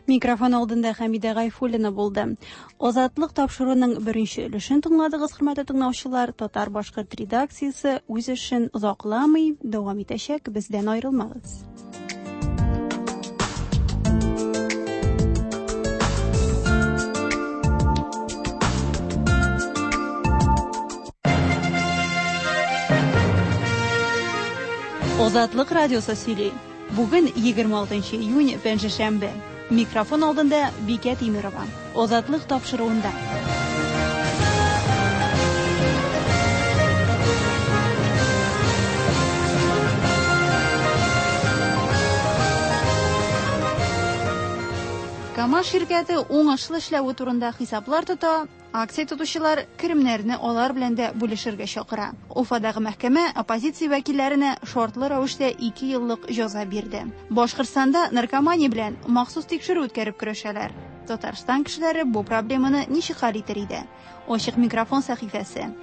Микрофон алдында Хәмидә Гайфуллина булды. Азатлык тапшыруының беренче өлешен тыңладыгыз, хөрмәтле тыңлаучылар. Татар-башкорт редакциясе үз эшен озакламый дәвам итәчәк, бездән аерылмагыз. Азатлык радиосы сөйли. Бүген егерме алтынчы июнь, пәнҗешәмбе. Микрофон алдында Бикә Тимирова. Азатлык тапшыруында. КАМАЗ ширкәте уңышлы эшләве турында хисаплар тота, акция тотучылар керемнәрне алар белән дә бүлешергә чакыра. Уфадагы мәхкәмә оппозиция вәкилләренә шартлы рәвештә ике еллык җәза бирде. Башкортстанда наркомания белән махсус тикшерү үткәреп көрәшәләр. Татарстан кешеләре бу проблеманы ничек хәл итер иде? Ачык микрофон сәхифәсе.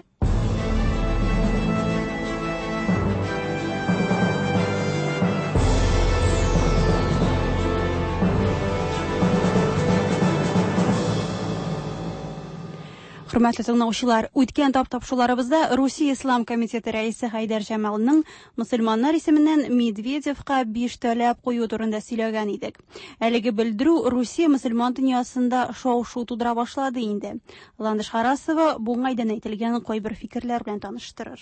Хөрмәтле тыңлаучылар, үткән тап-тапшуларыбызда Русия Ислам комитеты рәисе Хәйдәр Җамалның мөселманнар исеменнән Медведевка биш таләп кую турында сөйләгән идек. Әлеге белдерү Русия мөселман дөньясында шау-шу тудыра башлады инде. Ландыш Харасова бу уңайдан әйтелгән кайбер фикерләр белән таныштырыр.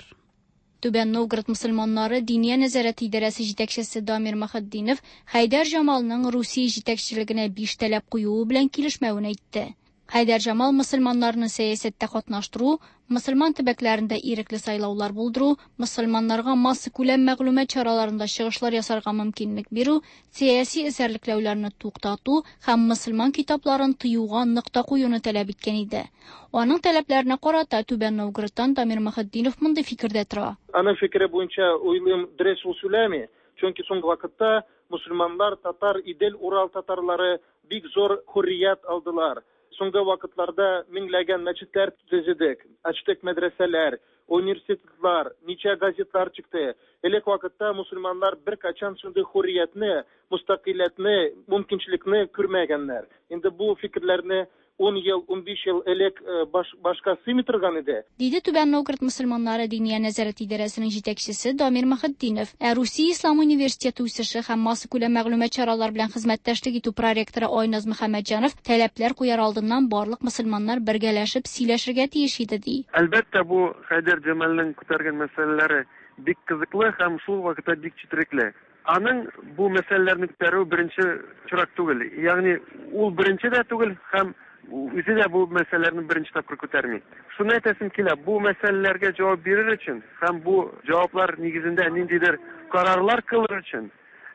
Түбән Новгород мөселманнары Диния нәзарәте идарәсе җитәкчесе Дамир Мөхетдинов Хәйдәр Җамалның Русия җитәкчелегенә биш таләп куюы белән килешмәвен әйтте. Хәйдәр Җамал мөселманнарны сәясәттә катнаштыру, мөселман төбәкләрендә ирекле сайлаулар булдыру, мөселманнарга массакүләм мәгълүмат чараларында чыгышлар ясарга мөмкинлек бирү, сәяси эзәрлекләүләрне туктату һәм мөселман китапларын тыюга нокта куюны таләп иткән иде. Аның таләпләренә карата Түбән Новгородтан Дамир Мөхетдинов мондый фикердә тора. Аның фикере буенча уйлыйм, дөрес ул сөйләми, чөнки соңгы вакытта мөселманнар, татар, Идел, Урал татарлары бик зур хөррият алдылар. Соңгы вакытларда меңләгән мәчетләр төзедек, ачтык мәдрәсәләр, университетлар, ничә газетлар чыкты. Элек вакытта мөселманнар беркайчан шундый хөрриятне, мустақилләтне, мөмкинчелекне күрмәгәннәр. Инде бу фикерләрне ун ел, унбиш ел элек баш, башка сыймый торган иде. Диде Түбән Новгород мөселманнары Диния нәзарәте идарәсенең җитәкчесе Дамир Мөхетдинов. Ә Русия Ислам университеты үсеше һәм массакүләм мәгълүмат чаралары белән хезмәттәшлек итү проректоры Айназ Мөхәммәтҗанов таләпләр куяр алдыннан барлык мөселманнар бергәләшеп сөйләшергә тиеш иде, ди. Әлбәттә, бу Хәйдәр Җамалның күтәргән мәсьәләләре бик кызыклы һәм шул вакытта бик четерекле. Аның бу мәсьәләләрне күтәрү беренче чират түгел. Ягъни ул беренче дә түгел һәм үзе дә бу мәсьәләләрне беренче тапкыр күтәрми. Шуны әйтәсем килә, бу мәсьәләләргә җавап бирер өчен һәм бу җаваплар нигезендә ниндидер карарлар кылыр өчен,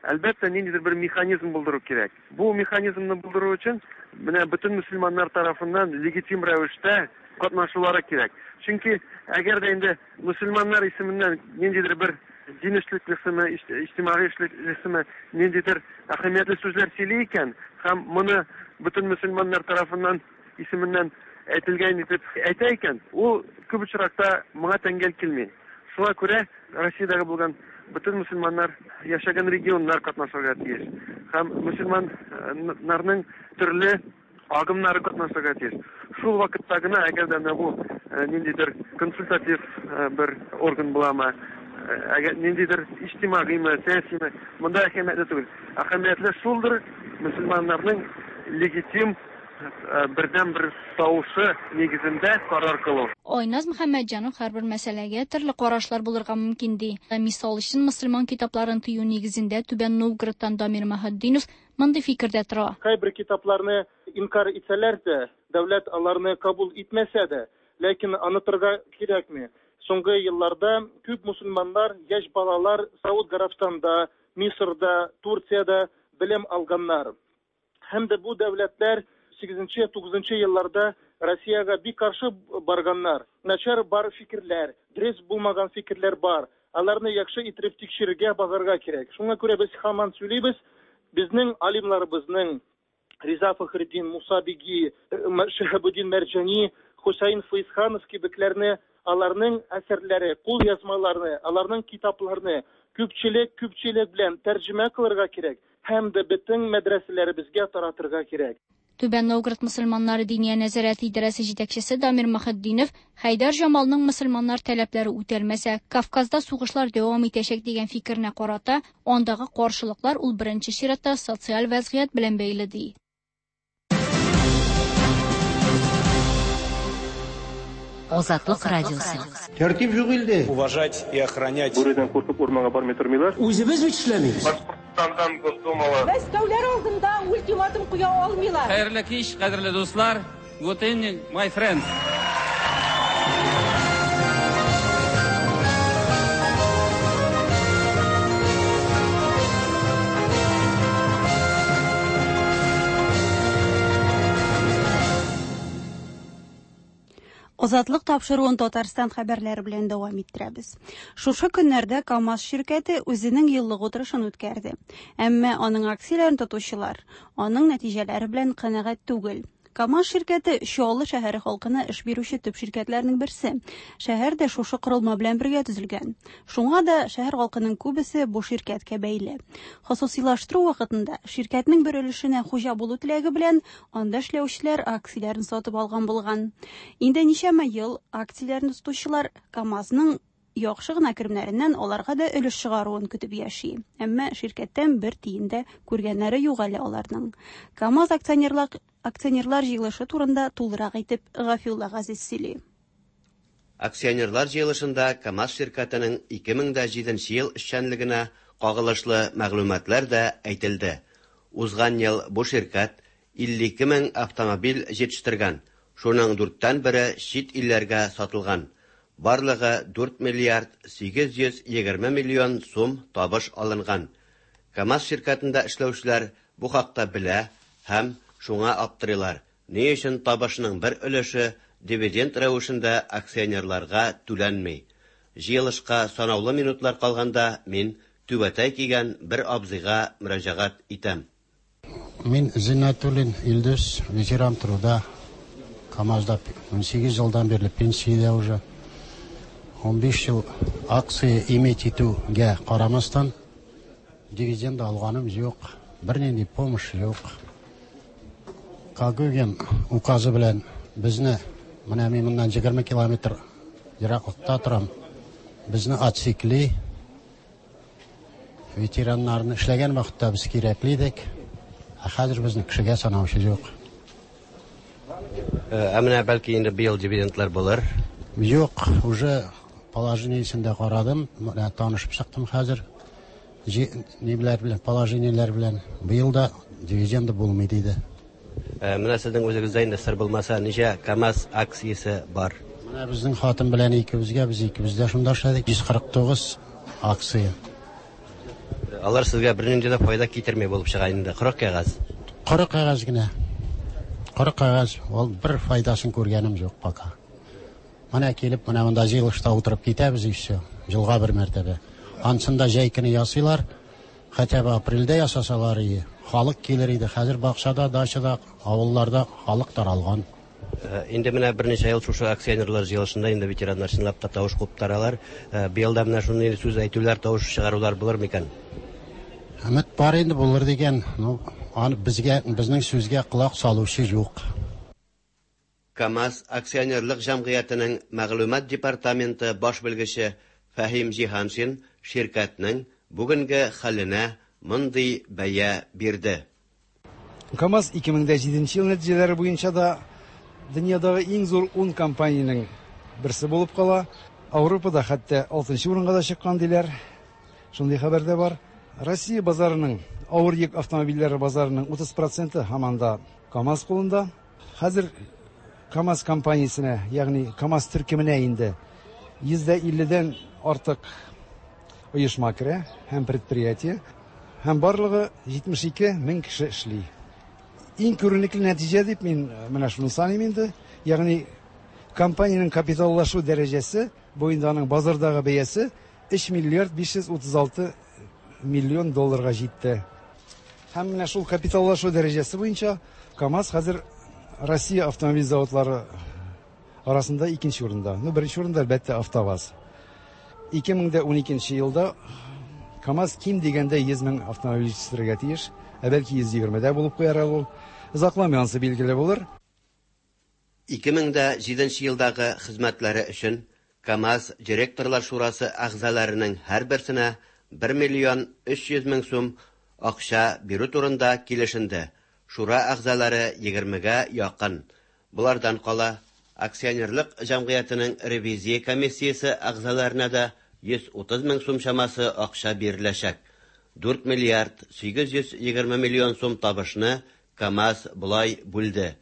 әлбәттә, ниндидер бер механизм булдыру кирәк. Бу механизмны булдыру өчен менә бөтен мөселманнар тарафыннан легитим рәвештә катнашулары кирәк. Чөнки әгәр дә инде мөселманнар исеменнән ниндидер бер дин эшлеклесеме, иҗтимагый эшлеклесеме ниндидер әһәмиятле сүзләр сөйли икән һәм моны бөтен мөселманнар тарафыннан исеменнән әйтелгән итеп әйтә икән, ул күп очракта моңа тәңгәл килми. Шуңа күрә Россиядәге булган бөтен мөселманнар яшәгән регионнар катнашырга тиеш һәм мөселманнарның төрле агымнары катнашырга тиеш. Шул вакытта гына, әгәр дә менә бу ниндидер консультатив бер орган буламы, әгәр ниндидер иҗтимагыймы, сәясиме, монда әһәмиятле түгел. Әһәмиятле шулдыр, мөселманнарның легитим бердән бер тавышы нигезендә карар кылу. Айназ Мөхәммәтҗанов һәрбер мәсьәләгә төрле карашлар булырга мөмкин ди. Мисал өчен, мөселман китапларын тыю нигезендә Түбән Новгородтан Дамир Мөхетдинов мондый фикердә тора. Кайбер китапларны инкар итсәләр дә, дәүләт аларны кабул итмәсә дә, ләкин анытырга кирәкми. Соңгы елларда күп мөселманнар, яшь балалар Сауд Гарәбстанда, Мисырда, Турциядә белем алганнар. Һәм дә бу дәүләтләр сигезенче, тугызынчы елларда Россиягә бик каршы барганнар. Начар бар фикерләр, дөрес булмаган фикерләр бар. Аларны яхшы итеп тикшерергә, багарга кирәк. Шуңа күрә без һаман сөйлибез, безнең алимларыбызның Риза Фахретдин, Муса Биги, Шиһабуддин Мәрҗани, Хусаин Файзханов кебекләрне, аларның әсәрләре, кул язмаларны, аларның китапларны күпчелек күпчелек белән тәрҗемә кылырга кирәк һәм дә бөтен мәдрәсәләребезгә таратырга кирәк. Түбән Новгород мөселманнары Диния нәзарәте идарәсе җитәкчесе Дамир Мөхетдинов Хәйдәр Җамалның мөселманнар таләпләре үтәлмәсә, Кавказда сугышлар дәвам итәчәк дигән фикеренә карата, андагы каршылыклар ул беренче чиратта социаль вәзгыять белән бәйле ди. Азатлык радиосы. Тәртип юк илдә. Уважать и охранять. Бүредән куркып урманга бармый тормыйлар. Үзебез бит эшләмибез. Башкортстандан Госдумала. Мәскәүләр алдында ультиматум куя алмыйлар. Хәерле кич, кадерле дуслар. Good evening, my friends. Азатлык тапшыруын Татарстан хәбәрләре белән дәвам иттерәбез. Шушы көннәрдә КАМАЗ ширкәте үзенең еллык утырышын үткәрде. Әмма аның акцияләрен тотучылар аның нәтиҗәләре белән канәгать түгел. КАМАЗ ширкәте Чаллы шәһәре халкына эш бирүче төп ширкәтләрнең берсе. Шәһәр дә шушы корылма белән бергә төзелгән. Шуңа да шәһәр халкының күбесе бу ширкәткә бәйле. Хосусилаштыру вакытында ширкәтнең бер өлешенә хуҗа булу теләге белән анда эшләүчеләр акцияләрен сатып алган булган. Инде ничәмә ел акцияләрне тотучылар КАМАЗның яхшы гына керемнәреннән аларга да өлеш чыгаруын көтеп яши. Әмма ширкәттән бер тиен дә күргәннәре юк әле аларның. КАМАЗ акционерлар акционерлар җыелышы турында тулырак итеп Гафиулла Газиз сөйли. Акционерлар җыелышында КАМАЗ ширкәтенең ике мең дә җиденче ел эшчәнлегенә кагылышлы мәгълүматлар да әйтелде. Узган ел бу ширкәт илле ике мең автомобиль җитештергән. Шуның дүрттән бере чит илләргә сатылган. Барлыгы дүрт миллиард сигез йөз егерме миллион сум табыш алынган. КАМАЗ ширкәтендә эшләүчеләр бу хакта белә һәм шуңа аптырыйлар. Ни өчен табышның бер өлеше дивиденд рәвешендә акционерларга түләнми? Җыелышка санаулы минутлар калганда мин түбәтәй кигән бер абзыйга мөрәҗәгать итәм. Мин Зиннатуллин Илдус, ветеран труда. КАМАЗда ун сигез елдан бирле пенсиядә уже. ун биш ел акция иметь итүгә карамастан дивиденд алганым юк, бернинди помощь юк. Когогин указы белән безне, менә мин моннан егерме километр ераклыкта торам, безне отсекли. Ветераннарны эшләгән вакытта без кирәкле идек, ә хәзер безне кешегә санаучы юк. Ә менә бәлки инде быел дивидендлар булыр? Юк, уже положениесен дә карадым, менә танышып чыктым хәзер. Ниләр белән, положениеләр белән быел да дивиденды булмый диде. Менә сезнең үзегездә инде сер булмаса, ничә КАМАЗ акциясе бар? Менә безнең хатын белән икебезгә, без икебез дә шунда эшләдек, йөз кырык тугыз акция. Алар сезгә бернинди дә файда китерми булып чыга инде, коры кәгазь. Коры кәгазь генә. Коры кәгазь, ул бер файдасын күргәнем юк пока. Менә килеп, менә монда җыелышта утырып китәбез и все. Елга бер мәртәбә. Ансын да җәй көне ясыйлар. Хотя бы апрельдә ясасалар ие. Халык килер иде. Хәзер бакчада, дачада, авылларда халык таралган. Инде менә берничә ел шушы акционерлар җыелышында инде ветераннар чынлап та тавыш куптаралар. Быел да менә шундый сүз әйтүләр, тавыш чыгарулар булыр микән? Өмет бар инде булыр дигән. Ну, аны безгә, безнең сүзгә колак салучы юк. КАМАЗ акционерлык җәмгыятенең мәгълүмат департаменты баш белгече Фәһим Җиһаншин ширкәтнең бүгенге хәленә мондый бәя бирде. КАМАЗ ике мең дә җиденче ел нәтиҗәләре буенча да дөньядагы иң зур ун компаниянең берсе булып кала. Ауропада хәтта алтынчы урынга да чыккан диләр. Шундый хәбәр дә бар. Россия базарының, авыр йөк автомобильләре базарының утыз проценты һаман да КАМАЗ кулында. Хәзер КАМАЗ компаниясенә, ягъни КАМАЗ төркеменә инде йөз дә илледән артык оешма керә һәм предприятие, һәм барлыгы җитмеш ике мең кеше эшли. Иң күренекле нәтиҗә дип мин менә шуны саныйм инде. Ягъни компаниянең капиталлашу дәрәҗәсе, бу инде аның базардагы бәясе өч миллиард биш йөз утыз алты миллион долларга җитте. Һәм менә шул капиталлашу дәрәҗәсе буенча КАМАЗ хәзер Россия автомобиль заводлары арасында икенче урында. Ну, беренче урында әлбәттә АвтоВАЗ. ике мең дә уникенче елда КАМАЗ ким дигәндә йөз мең автомобиль җитештерергә тиеш, ә бәлки йөз егермедә булып куяр әле ул. Озакламый ансы билгеле булыр. ике мең дә җиденче елдагы хезмәтләре өчен КАМАЗ директорлар шурасы әгъзаларының һәрберсенә бер миллион өч йөз мең сум акча бирү турында килешенде. Шура әгъзалары егермегә якын. Булардан кала акционерлык җәмгыятенең ревизия комиссиясе әгъзаларына да йөз утыз мең сум чамасы акча биреләчәк. Дүрт миллиард сигез йөз егерме миллион сум табышны КАМАЗ болай бүлде.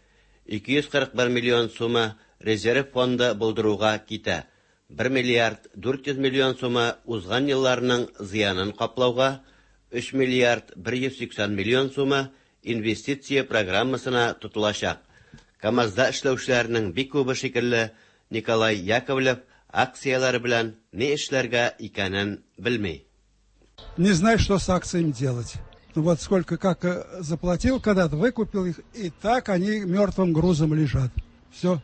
Ике йөз кырык бер миллион сумы резерв фонды булдыруга китә. Бер миллиард дүрт йөз миллион сумы узган елларның зыянын каплауга, өч миллиард бер йөз сиксән миллион сумы инвестиция программасына тотылачак. КАМАЗда эшләүчеләрнең бик күбе шикелле Николай Яковлев акцияләре белән ни эшләргә икәнен белми. Не знаю, что с акциями делать. Ну вот сколько, как заплатил когда-то, выкупил их, и так они мертвым грузом лежат. Все.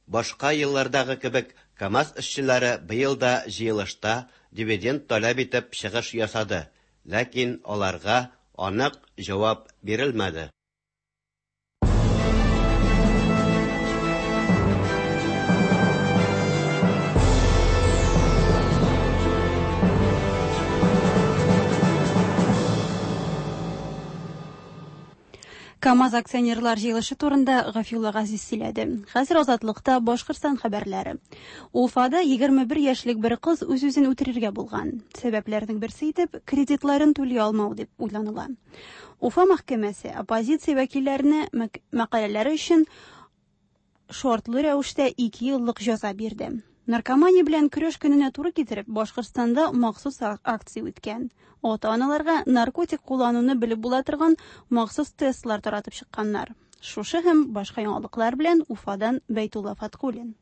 Башка еллардагы кебек КАМАЗ эшчеләре быел да җыелышта дивиденд таләп итеп чыгыш ясады. Ләкин аларга анык җавап бирелмәде. КАМАЗ акционерлар җыелышы турында Гафиулла Газиз сөйләде. Хәзер Азатлыкта Башкортстан хәбәрләре. Уфада егерме бер яшьлек бер кыз үз-үзен үтерергә булган. Сәбәпләрнең берсе итеп кредитларын түли алмау дип уйланыла. Уфа мәхкәмәсе оппозиция вәкилләренә мәкаләләре өчен шартлы рәвештә ике еллык җәза бирде. Наркомания белән көрәш көненә туры китереп, Башкортстанда махсус акция үткән. Ата-аналарга наркотик куллануны белеп була торган махсус тестлар таратып чыкканнар. Шушы һәм башка яңалыклар белән Уфадан Бәйтулла Фаткуллин.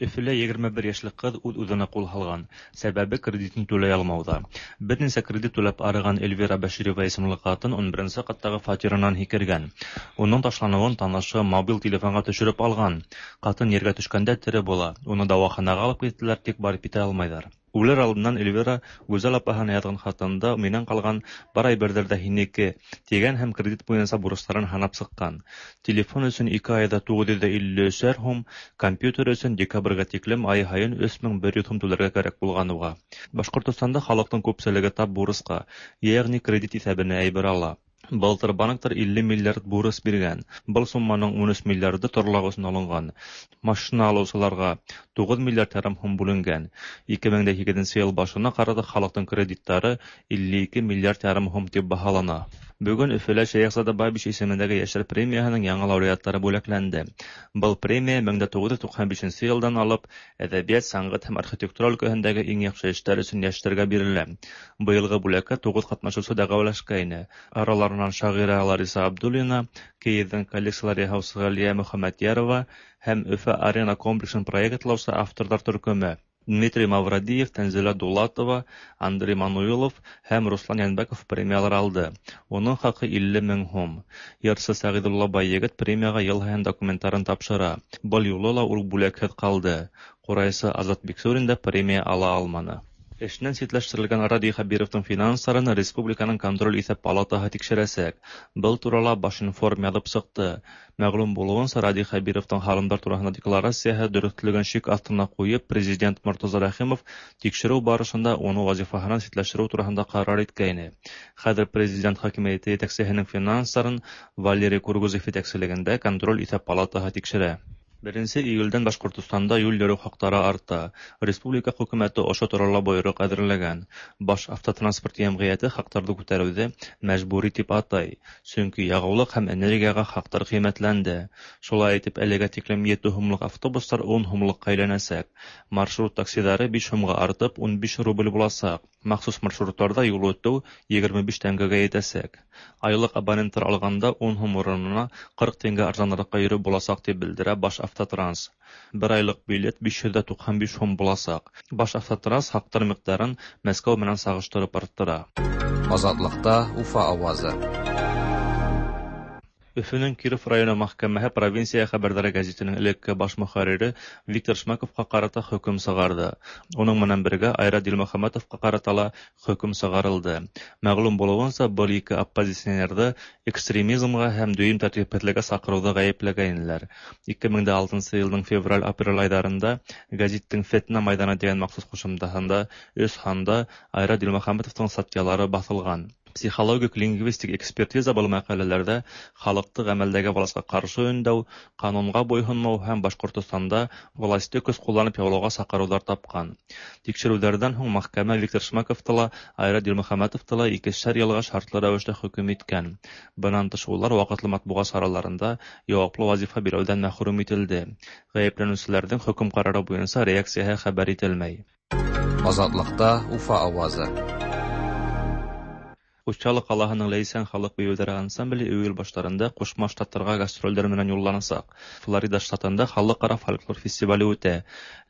Өфөлә егерме бер яшьлек кыз үҙ-үҙенә ҡул һалған. Сәбәбе кредитын түләй алмауҙа. Бер нисә кредит түләп арыған Эльвира Бәширова исемле ҡатын ун беренсе ҡаттағы фатирынан һикергән. Уның ташланыуын танышы мобил телефонға төшөрөп алған. Ҡатын ергә төшкәндә тере була. Уны дауаханаға алып киттеләр, тик барып китә алмайҙар. Үлер алдынан Эльвира Гүзәл апаһына яҙған хатында минән ҡалған бар әйберҙәр ҙә һинеке тигән һәм кредит буйынса бурыстарын һанап сыҡҡан. Телефон өсөн ике айҙа туғыҙ йөҙ илле өсәр һум, компьютер өсөн декабргә тиклем ай һайын өс мең бер йөҙ һум түләргә кәрәк булған уға. Башҡортостанда халыҡтың күпселеге тап бурысҡа, йәғни кредит иҫәбенә әйбер ала. Былтыр банктар илле миллиард бурыс биргән. Был сумманың ун өс миллиарды торлаҡ өсөн алынған. Машина алыусыларға туғыҙ миллиард ярым һум бүленгән. ике мең дә һигеҙенсе йыл башына ҡарата халыҡтың кредиттары илле ике миллиард ярым һум тип баһалана. Бөгөн Өфөлә Шәйехзада Бабич исемендәге йәштәр премияһының яңы лауреаттары бүләкләнде. Был премия мең дә туғыҙ йөҙ туҡһан бишенсе йылдан алып әҙәбиәт, сәнғәт һәм архитектура өлкәһендәге иң яҡшы эштәр өсөн йәштәргә бирелә. Быйылғы бүләккә туғыҙ ҡатнашыусы дәғүәләшкәйне. Араларынан шағирә Лариса Абдуллина, кейеҙҙең коллекциялар яһаусы Ғәлиә Мөхәммәтйәрова һәм Өфө арена комплексын проектлаусы авторҙар төркөмө. Дмитрий Мавродиев, Тәнзилә Дулатова, Андрей Мануилов һәм Руслан Янбәков премиялар алды. Уның хаҡы илле мең һум. Йырсы Сәғиҙулла Байегет премияға йыл һайын документтарын тапшыра. Был юлы ла ул бүләкһеҙ ҡалды. Ҡурайсы Азат Биксурин да премия ала алманы. Эшенән ситләштерелгән Радий Хәбировтың финанстарын республиканың контроль иҫәп палатаһы тикшерәсәк. Был турала Башинформ яҙып сыҡты. Мәғлүм булыуынса, Радий Хәбировтың һалымдар тураһында декларацияһы дөрөҫлөгөн шик аҫтына ҡуйып, президент Мортаза Рәхимов тикшереү барышында уны вазифаһынан ситләштереү тураһында ҡарар иткәйне. Хәҙер президент хакимиәте етәксеһенең финанстарын Валерий Кургузов етәкселегендә контроль иҫәп палатаһы тикшерә. Беренсе июлдән Башҡортостанда юл йөрөү хаҡтары арта. Республика хөкүмәте ошо турала бойороҡ әҙерләгән. Баш автотранспорт йәмғиәте хаҡтарҙы күтәреүҙе мәжбүри тип атай, сөнки яғыулыҡ һәм энергияға хаҡтар ҡиммәтләнде. Шулай итеп, әлегә тиклем ете һумлыҡ автобустар ун һумлыҡҡа әйләнәсәк. Маршрут таксиҙары биш һумға артып ун биш рубль буласаҡ. Махсус маршрутларда юл үтү егерме биш тәңгәгә етәсәк. Айлык абонентлар алганда ун һум урынына кырык тәңгә арзанракка йөреп буласак, дип белдерә Башавтотранс. Бер айлык билет биш йөз дә туксан биш һум буласак. Башавтотранс хаклар микъдарын Мәскәү менән сагыштырып арттыра. Азатлыкта Уфа авазы. Өфөнең Киров районы мәхкәмәһе Провинция хәбәрләре гәзитенең элекке баш мөхәррире Виктор Шмаковка карата хөкем сыгарды. Уның менән бергә Айрат Дилмөхәмәтовка карата ла хөкем сыгарылды. Мәгълүм булуынса, был ике оппозиционерҙы экстремизмға һәм дөйөм тәртипһеҙлеккә саҡырыуҙа ғәйепләгәйнеләр. Ике мең дә алтынсы йылдың февраль-апрель айҙарында гәзиттең Фетнә майҙаны тигән махсус ҡушымтаһында өс һанда Айрат Дилмөхәмәтовтың статьялары баҫылған. Психологик лингвистик экспертиза был мәҡәләләрҙә халыҡты ғәмәлдәге власҡа ҡаршы өндәү, ҡанунға буйһонмау һәм Башҡортостанда власты көс ҡулланып яулауға саҡырыуҙар тапҡан. Тикшереүҙәрҙән һуң мәхкәмә Виктор Шмаковты ла, Айрат Дилмөхәмәтовты ла икешәр йылға шартлы рәүештә хөкөм иткән. Бынан тыш улар ваҡытлы матбуғат сараларында яуаплы вазифа биреүҙән мәхрүм ителде. Ғәйепләнеүселәрҙең хөкөм ҡарары буйынса реакцияһы хәбәр ителмәй. Азатлыҡта Уфа ауазы. Учалы ҡалаһының Ләйсән халыҡ бейеүҙәре ансамбле июль баштарында Ҡушма Штаттарға гастролдәр менән юлланасаҡ. Флорида штатында халыҡ-ара фольклор фестивале үтә.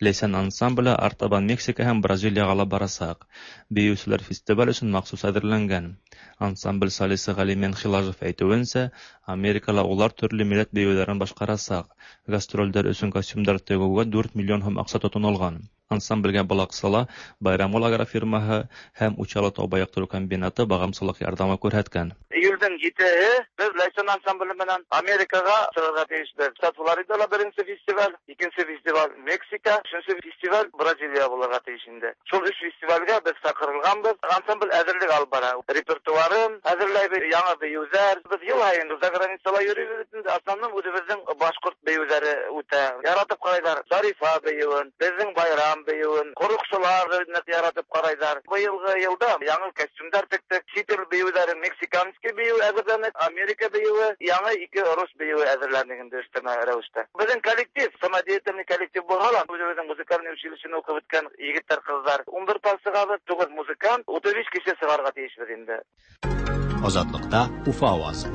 Ләйсән ансамбле артабан Мексика һәм Бразилияға ла барасаҡ. Бейеүселәр фестиваль өсөн махсус әҙерләнгән. Ансамбль солисы Ғәлимен Хилажев әйтеүенсә, Америкала улар төрлө милләт бейеүҙәрен башҡарасаҡ. Гастролдәр өсөн костюмдар тегеүгә дүрт миллион һум аҡса тотонолған. Ансамблгә был аҡсала Байрамғол агрофирмаһы һәм Учалы тау байыҡтырыу комбинаты бағымсылыҡ ярҙамы күрһәткән. Июлдең етеһе беҙ Ләйсән ансамбле менән Америкаға сығырға тейешбеҙ. Штат Флоридала беренсе фестиваль, икенсе фестиваль Мексика, өсөнсө фестиваль Бразилия булырға тейеш инде. Шул өс фестивалгә беҙ саҡырылғанбыҙ. Ансамбль әҙерлек алып бара. Репертуарын әҙерләйбеҙ, яңы бейеүҙәр. Беҙ йыл һайын за границала йөрөйбөҙ инде. Основном үҙебеҙҙең башҡорт бейеүҙәре үтә. Яратып ҡарайҙар Зарифа бейеүен, беҙҙең байрам бейеүен, ҡороҡсолар ныҡ яратып ҡарайҙар. Быйылғы йылда яңы костюмдар тектек, сит ил бейеүҙәре, мексиканский бейеү әҙерләнек, Америка бейеүе, яңы ике рус бейеүе әҙерләнек инде өҫтәмә рәүештә. Беҙҙең коллектив, самодеятельный коллектив булһа ла, үҙебеҙҙең музыкальный училищены уҡып бөткән егеттәр, ҡыҙҙар. Ун бер пар сығабыҙ, туғыҙ музыкант, утыҙ биш кеше сығарға тейешбеҙ инде. Азатлыҡта Уфа ауазы.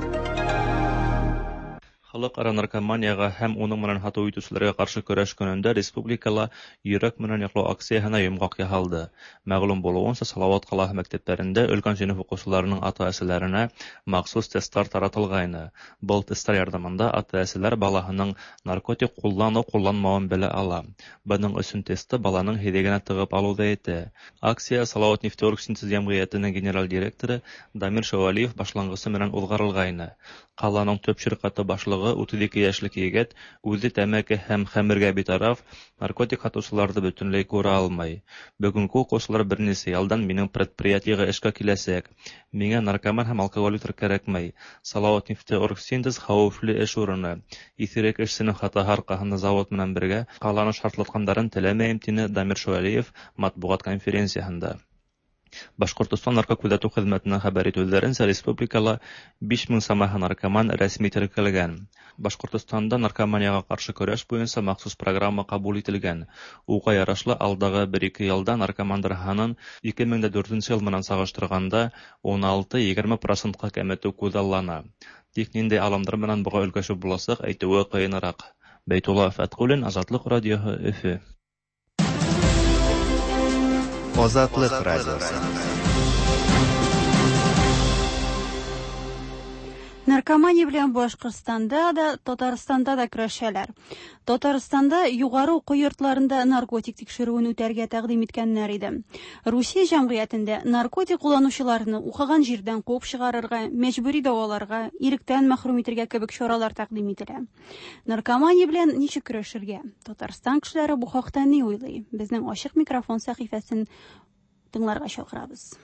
Халыҡ-ара наркоманияға һәм уның менән һатыу итеүселәргә ҡаршы көрәш көнөндә республикала йөрәк менән яҡлау акцияһына йомғаҡ яһалды. Мәғлүм булыуынса, Салауат ҡалаһы мәктәптәрендә өлкән синыф уҡыусыларының ата-әсәләренә махсус тесттар таратылғайны. Был тесттар ярҙамында ата-әсәләр балаһының наркотик ҡулланыу-ҡулланмауын белә ала. Бының өсөн тестты баланың һиҙегенә тығып алыуҙа етә. Акция Салауат нефтеоргсинтез йәмғиәтенең генераль директоры Дамир Шәүәлиев башланғысы менән уҙғарылғайны. Ҡаланың төп ширҡәте башлығы утыҙ ике йәшлек егет үҙе тәмәке һәм хәмергә битараф, наркотик һатыусыларҙы бөтөнләй күрә алмай. Бөгөнгө уҡыусылар бер нисә йылдан минең предприятиеға эшкә киләсәк. Миңә наркоман һәм алкоголиктар кәрәкмәй. Салауат нефтеоргсинтез хәүефле эш урыны. Иҫерек эшсенең хатаһы арҡаһында завод менән бергә ҡаланы шартлатҡандарын теләмәйем, тине Дамир Шәүәлиев матбуғат конференцияһында. Башҡортостан наркокүҙәтеү хеҙмәтенән хәбәр итеүҙәренсә, республикала биш мең самаһы наркоман рәсми теркәлгән. Башҡортостанда наркоманияға ҡаршы көрәш буйынса махсус программа ҡабул ителгән. Уға ярашлы алдағы бер-ике йылда наркомандар һанын ике мең дә дүртенсе йыл менән сағыштырғанда ун алты-егерме процентҡа кәметеү күҙаллана. Тик ниндәй алымдар менән быға өлгәшеп буласаҡ, әйтеүе ҡыйыныраҡ. Бәйтулла Фәтҡуллин, Азатлыҡ радиоһы, Өфө. Азатлык радиосы. Наркомания белән Башҡортостанда да, Татарстанда да көрәшәләр. Татарстанда юғары уҡыу йортларында наркотик тикшереүен үтәргә тәҡдим иткәннәр иде. Русия җәмгыятендә наркотик кулланучыларны уҡыған җирдән ҡыуып чыгарырга, мәҗбүри дәваларга, иректән мәхрүм итергә кебек чаралар тәкъдим ителә. Наркомания белән ничек көрәшергә? Татарстан кешеләре бу хакта ни уйлый? Безнең ачык микрофон сәхифәсен тыңларга чакырабыз.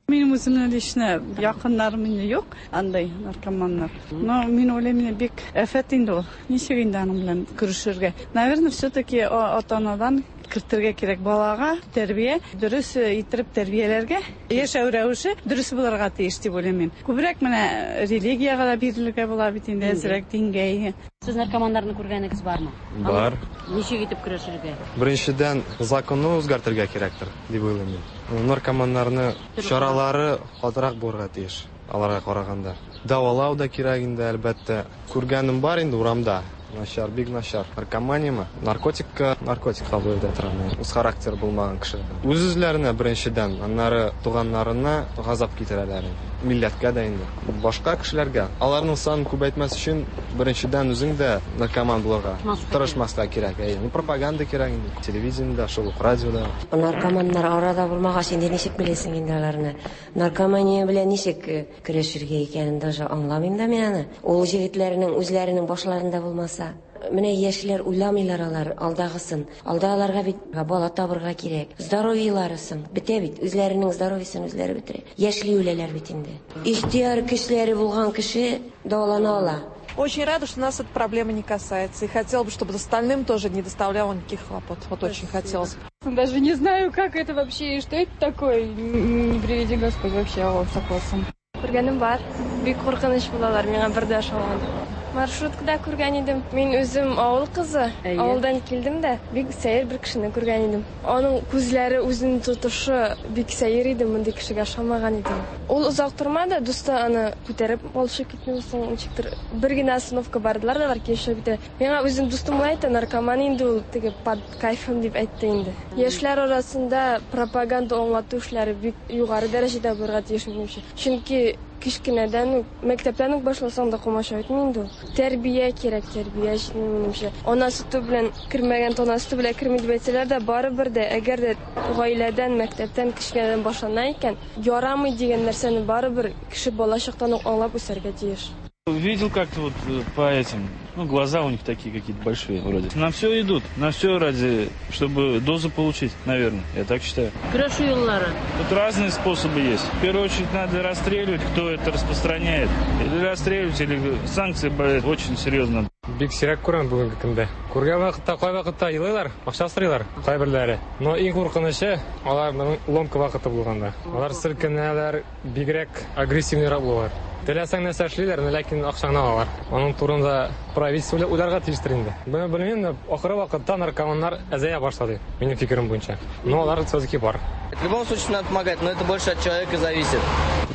Минем үземнең лично якыннарым инде юк, андай наркоманнар. Но мин уйлыйм, бик афәт инде ул. Ничек инде аның белән көрәшергә? Наверное, все-таки ата-анадан Кертергә кирәк балага тәрбия, дөрес иттереп тәрбияләргә, яшәү рәвеше дөрес булырга тиеш дип уйлыйм мин. Күбрәк менә религиягә дә бирелергә була бит инде, әзрәк дингә. Сез наркоманнарны күргәнегез бармы? Бар. Ничек итеп көрәшергә? Беренчедән, законны үзгәртергә кирәктер, дип уйлыйм мин. Наркоманнарны чаралары катырак булырга тиеш, аларга караганда. Дәвалау да кирәк инде, әлбәттә. Күргәнем бар инде урамда. Начар, бик начар. Наркоманияме? Наркотикка, наркотик кабул итә торган. Үз характер булмаган кеше. Үз-үзләренә беренчедән, аннары туганнарына газап китерәләр инде. Милләткә дә инде. Башка кешеләргә. Аларның санын күбәйтмәс өчен беренчедән үзең дә наркоман булырга тырышмаска кирәк. Әйе, ну пропаганда кирәк инде. Телевидениедә, шул ук радиода. Наркоманнар арада булмагач инде ничек беләсең инде аларны? Наркомания белән ничек көрәшергә икәнен даже аңламыйм да мин аны. Ул егетләрнең үзләренең башларында булмаса. Менә яшьләр уйламыйлар алар алдагысын. Алда аларга бит бала табырга кирәк. Здоровьеларысын бетә бит, үзләренең здоровьесын үзләре бетерә. Яшьли үләләр бит инде. Ихтыяр көчләре булган кеше дәвалана ала. Очень рада, что нас эта проблема не касается. И хотела бы, чтобы остальным тоже не доставляло никаких хлопот. Вот очень хотелось бы. Даже не знаю, как это вообще и что это такое. Не приведи Господь вообще, Аллах сакласын. Күргәнем бар. Бик куркыныч булалар, миңа бер дә ошамады. Маршруткада күргән идем. Мин үзем авыл кызы. Авылдан килдем дә, бик сәер бер кешене күргән идем. Аның күзләре, үзенең тотышы бик сәер иде, мондый кешегә ошамаган идем. Ул озак тормады, дусты аны күтәреп алышып китми соң, ничектер бер генә остановка бардылар да, алар килешеп китә. Миңа үзем дустым әйтте, наркоман инде ул, теге под кайфом дип әйтте инде. Яшьләр арасында пропаганда аңлату эшләре бик югары дәрәҗәдә булырга тиеш минемчә. Чөнки кечкенәдән үк, мәктәптән үк башласаң да комачау итми инде ул. Тәрбия кирәк, тәрбия җитми минемчә. Ана сөте белән кермәгән, тана сөте белән керми дип әйтсәләр дә, барыбер дә, әгәр дә гаиләдән, мәктәптән кечкенәдән башлана икән, ярамый дигән нәрсәне барыбер кеше балачактан ук аңлап үсәргә тиеш. Видел как-то вот по этим, ну, глаза у них такие какие-то большие вроде. На все идут, на все ради, чтобы дозу получить, наверное, я так считаю. Көрәшү юллары. Тут разные способы есть. В первую очередь надо расстреливать, кто это распространяет. Или расстреливать, или санкции брать очень серьезно. Бик сирәк күрәм бүгенге көндә. Күргән вакытта, кай вакытта елыйлар, акча сорыйлар кайберләре. Но иң куркынычы аларның ломка вакыты булганда. Алар селкенәләр, бигрәк агрессивныйрак булалар. Теләсәң нәрсә эшлиләр, ләкин акчаңны алалар. Аның турында правительство уйларга тиештер инде. Бу белмим, ахыры вакытта наркоманнар әзәя башлады, минем фикерем буенча. Но алар все-таки бар. В любом случае надо помогать, но это больше от человека зависит.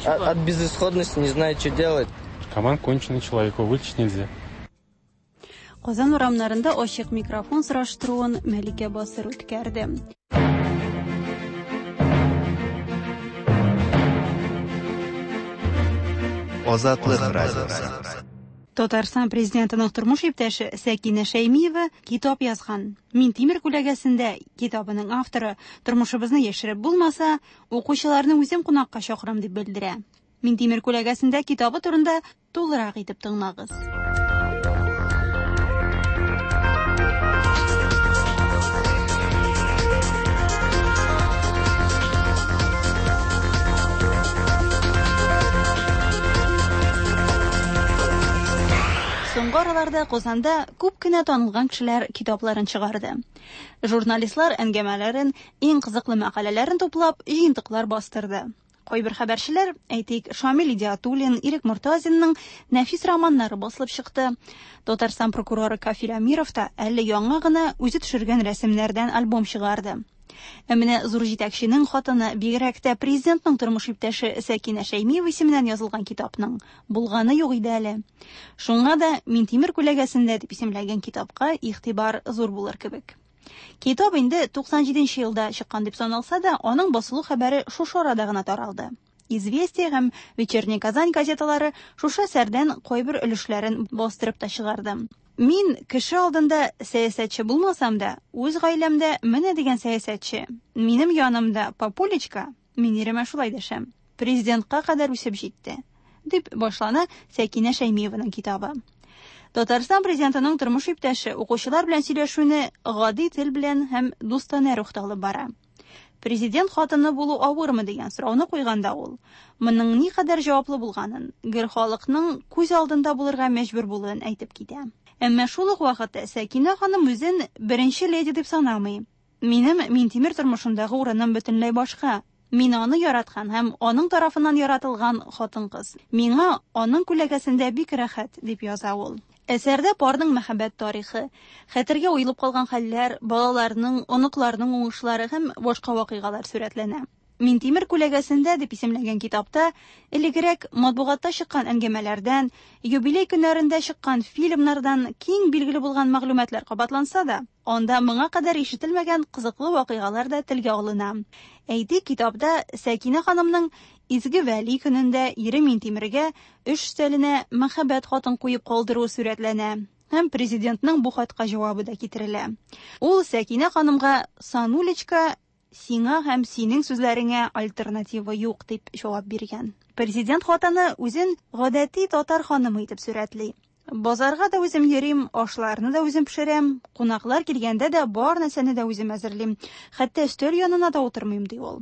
От, от безысходности не знает, что делать. Наркоман конченый человек, его вылечить нельзя. Казан урамнарында ачык микрофон сораштыруын Мәликә Басыр үткәрде. Азатлык радиосы. Татарстан президентының тормыш иптәше Сәкинә Шәймиева китап язган. Минтимер күләгәсендә китабының авторы тормышыбызны яшереп булмаса, укучыларны үзем кунакка чакырам дип белдерә. Минтимер күләгәсендә китабы турында тулырак итеп тыңлагыз. Соңгы араларда Казанда күп кенә танылган кешеләр китапларын чыгарды. Журналистлар әңгәмәләрен, иң кызыклы мәкаләләрен туплап, җыентыклар бастырды. Кайбер хәбәрчеләр, әйтик, Шамил Идиатуллин, Ирек Мортазинның нәфис романнары басылып чыкты. Татарстан прокуроры Кафил Әмиров та әле яңа гына үзе төшергән рәсемнәрдән альбом чыгарды. Ә менә зур җитәкченең хатыны, бигрәк тә президентның тормыш иптәше Сәкинә Шәймиева исеменнән язылган китапның булганы юк иде әле. Шуңа да Минтимер күләгәсендә дип исемләгән китапка игътибар зур булыр кебек. Китап инде туксан җиденче елда чыккан дип саналса да, аның басылу хәбәре шушы арада гына таралды. Известия һәм Вечерняя Казань газеталары шушы әсәрдән кайбер өлешләрен бастырып та чыгарды. Мин кеше алдында сәясәтче булмасам да, үз гаиләмдә менә дигән сәясәтче. Минем янымда папулечка, мин иремә шулай дәшәм. Президентка кадәр үсеп җитте, дип башлана Сәкинә Шәймиеваның китабы. Татарстан президентының тормыш иптәше укучылар белән сөйләшүне гади тел белән һәм дустанә рухта алып бара. Президент хатыны булу авырмы дигән сорауны куйганда ул моның никадәр җаваплы булганын, гел халыкның күз алдында булырга мәҗбүр булуын әйтеп китә. Әмма шул ук вакытта Сәкинә ханым үзен беренче леди дип санамый. Минем Минтимер тормышындагы урыным бөтенләй башка. Мин аны яраткан һәм аның тарафыннан яратылган хатын-кыз. Миңа аның күләгәсендә бик рәхәт, дип яза ул. Әсәрдә парның мәхәббәт тарихы, хәтергә уелып калган хәлләр, балаларның, оныкларның уңышлары һәм башка вакыйгалар сурәтләнә. Минтимер күләгәсендә дип исемләнгән китапта элегрәк матбугатта чыккан әңгәмәләрдән, юбилей көннәрендә чыккан фильмнардан киң билгеле булган мәгълүматлар кабатланса да, анда моңа кадәр ишетелмәгән кызыклы вакыйгалар да телгә алына. Әйтик, китапта Сәкинә ханымның Изге Вәли көнендә ире Минтимергә эш өстәленә мәхәббәт хатын куеп калдыруы сурәтләнә. Һәм президентның бу хатка җавабы да китерелә. Ул Сәкинә ханымга «Санулечка, сиңа һәм синең сүзләреңә альтернатива юк» дип җавап биргән. Президент хатыны үзен гадәти татар ханымы итеп сурәтли. Базарга да үзем йөрим, ашларны да үзем пешерәм, кунаклар килгәндә дә бар нәрсәне дә үзем әзерлим, хәтта өстәл янына да утырмыйм, ди ул.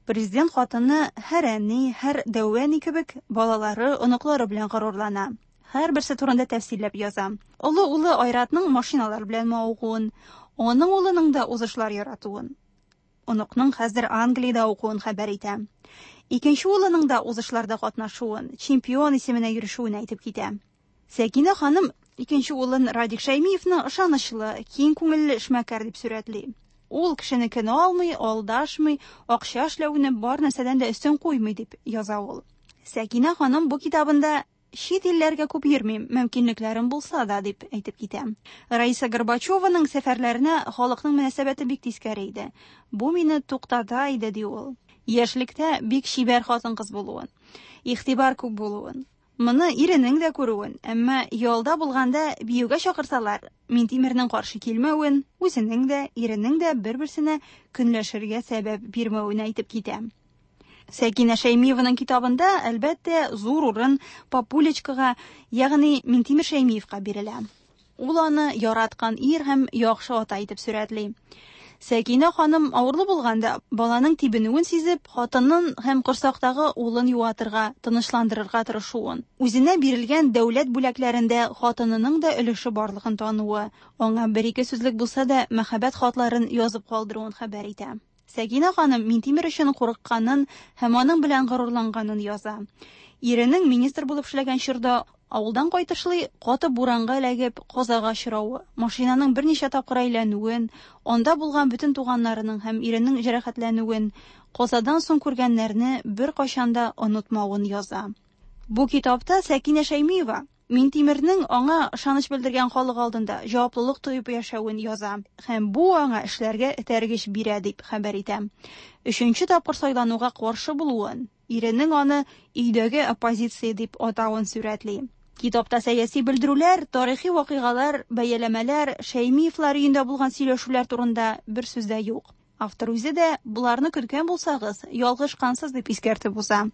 Президент хатыны һәр әни, һәр дәү әни кебек балалары, оныклары белән горурлана. Һәрберсе турында тәфсилләп яза. Олы улы Айратның машиналар белән мавыгуын, аның улының да узышлар яратуын, оныкның хәзер Англиядә укуын хәбәр итә. Икенче улының да узышларда катнашуын, чемпион исеменә ирешүен әйтеп китә. Сәкинә ханым икенче улын Радик Шәймиевны ышанычлы, киң күңелле эшмәкәр дип сурәтли. Ул кешенекен алмый, алдашмый, акча эшләүне бар нәрсәдән дә өстен куймый дип яза ул. Сәкинә ханым бу китабында чит илләргә күп йөрмим, мөмкинлекләрем булса да, дип әйтеп китә. Раиса Горбачеваның сәфәрләренә халыкның мөнәсәбәте бик тискәре иде. Бу мине туктата иде, ди ул. Яшьлектә бик чибәр хатын-кыз булуын, игътибар күп булуын, моны иренең дә күрүен, әмма ялда булганда биюгә чакырсалар, Минтимернең каршы килмәвен, үзенең дә, иренең дә бер-берсенә көнләшергә сәбәп бирмәвен әйтеп китә. Сәкинә Шәймиеваның китабында, әлбәттә, зур урын Папулечкага, ягъни Минтимер Шәймиевка бирелә. Ул аны яраткан ир һәм яхшы ата итеп сурәтли. Сәкинә ханым авырлы булганда, баланың тибенүен сизеп, хатынын һәм корсактагы улын юатырга, тынычландырырга тырышуын, үзенә бирелгән дәүләт бүләкләрендә хатынының да өлеше барлыгын тануы, аңа бер-ике сүзлек булса да мәхәббәт хатларын язып калдыруын хәбәр итә. Сәкинә ханым Минтимер өчен курыкканын һәм аның белән горурланганын яза. Иренең министр булып эшләгән чорда авылдан кайтышлый каты буранга эләгеп казага очравы, машинаның берничә тапкыр әйләнүен, анда булган бөтен туганнарының һәм иренең җәрәхәтләнүен, казадан соң күргәннәрне беркайчан да онытмавын яза. Бу китапта Сәкинә Шәймиева Минтимернең аңа ышаныч белдергән халык алдында җаваплылык тоеп яшәвен яза һәм бу аңа эшләргә этәргеч бирә дип хәбәр итә. Өченче тапкыр сайлануга каршы булуын, иренең аны өйдәге оппозиция дип атавын сурәтли. Китапта сәяси белдерүләр, тарихи вакыйгалар, бәяләмәләр, Шәймиевлар өендә булган сөйләшүләр турында бер сүз дә юк. Автор үзе дә буларны көткән булсагыз, ялгышкансыз дип искәртеп уза.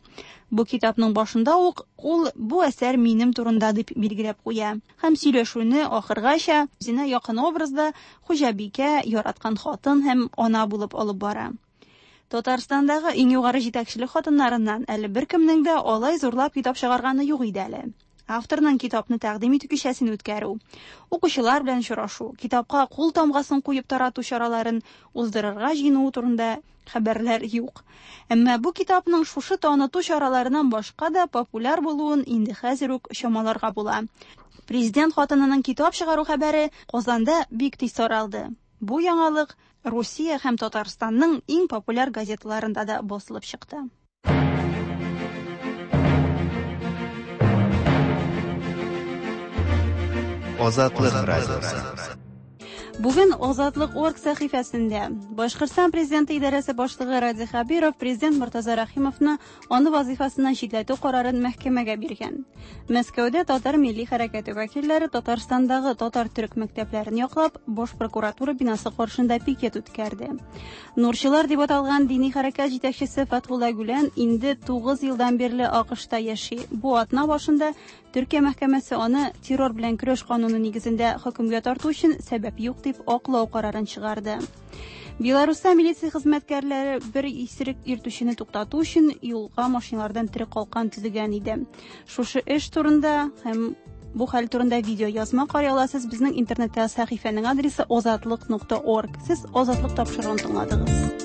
Бу китапның башында ук ул бу әсәр минем турында дип билгеләп куя. Һәм сөйләшүне ахыргача үзенә якын образда хуҗабикә, яраткан хатын һәм ана булып алып бара. Татарстандагы иң югары җитәкчелек хатыннарыннан әле беркемнең дә алай зурлап китап чыгарганы юк иде әле. Авторның китапны тәкъдим итү кичәсен үткәрү, укучылар белән очрашу, китапка кул тамгасын куеп тарату чараларын уздырырга җыенуы турында хәбәрләр юк. Әмма бу китапның шушы таныту чараларыннан башка да популяр булуын инде хәзер үк чамаларга була. Президент хатынының китап чыгару хәбәре Казанда бик тиз таралды. Бу яңалык Русия һәм Татарстанның иң популяр газеталарында да басылып чыкты. Азатлык радиосы. Бүген Азатлык орг сәхифәсендә Башкортстан президенты идарәсе башлыгы Радий Хәбиров президент Мортаза Рәхимовны аны вазифасыннан читләтү карарын мәхкәмәгә биргән. Мәскәүдә татар милли хәрәкәте вәкилләре Татарстандагы татар-төрек мәктәпләрен яклап, Баш прокуратура бинасы каршында пикет үткәрде. Нурчылар дип аталган дини хәрәкәт җитәкчесе Фәтхулла Гүлән инде тугыз елдан бирле АКШта яши. Бу атна башында Төркия мәхкәмәсе аны террор белән көрәш кануны нигезендә хөкемгә тарту өчен сәбәп юк дип аклау карарын чыгарды. Беларуста милиция хезмәткәрләре бер исерек йөртүчене туктату өчен юлга машиналардан тере калкан төзегән иде. Шушы эш турында һәм Бу хәл турында видео язма карый аласыз безнең интернеттә сәхифәнең адресы озатлык нокта орг. Сез Азатлык тапшыруын тыңладыгыз.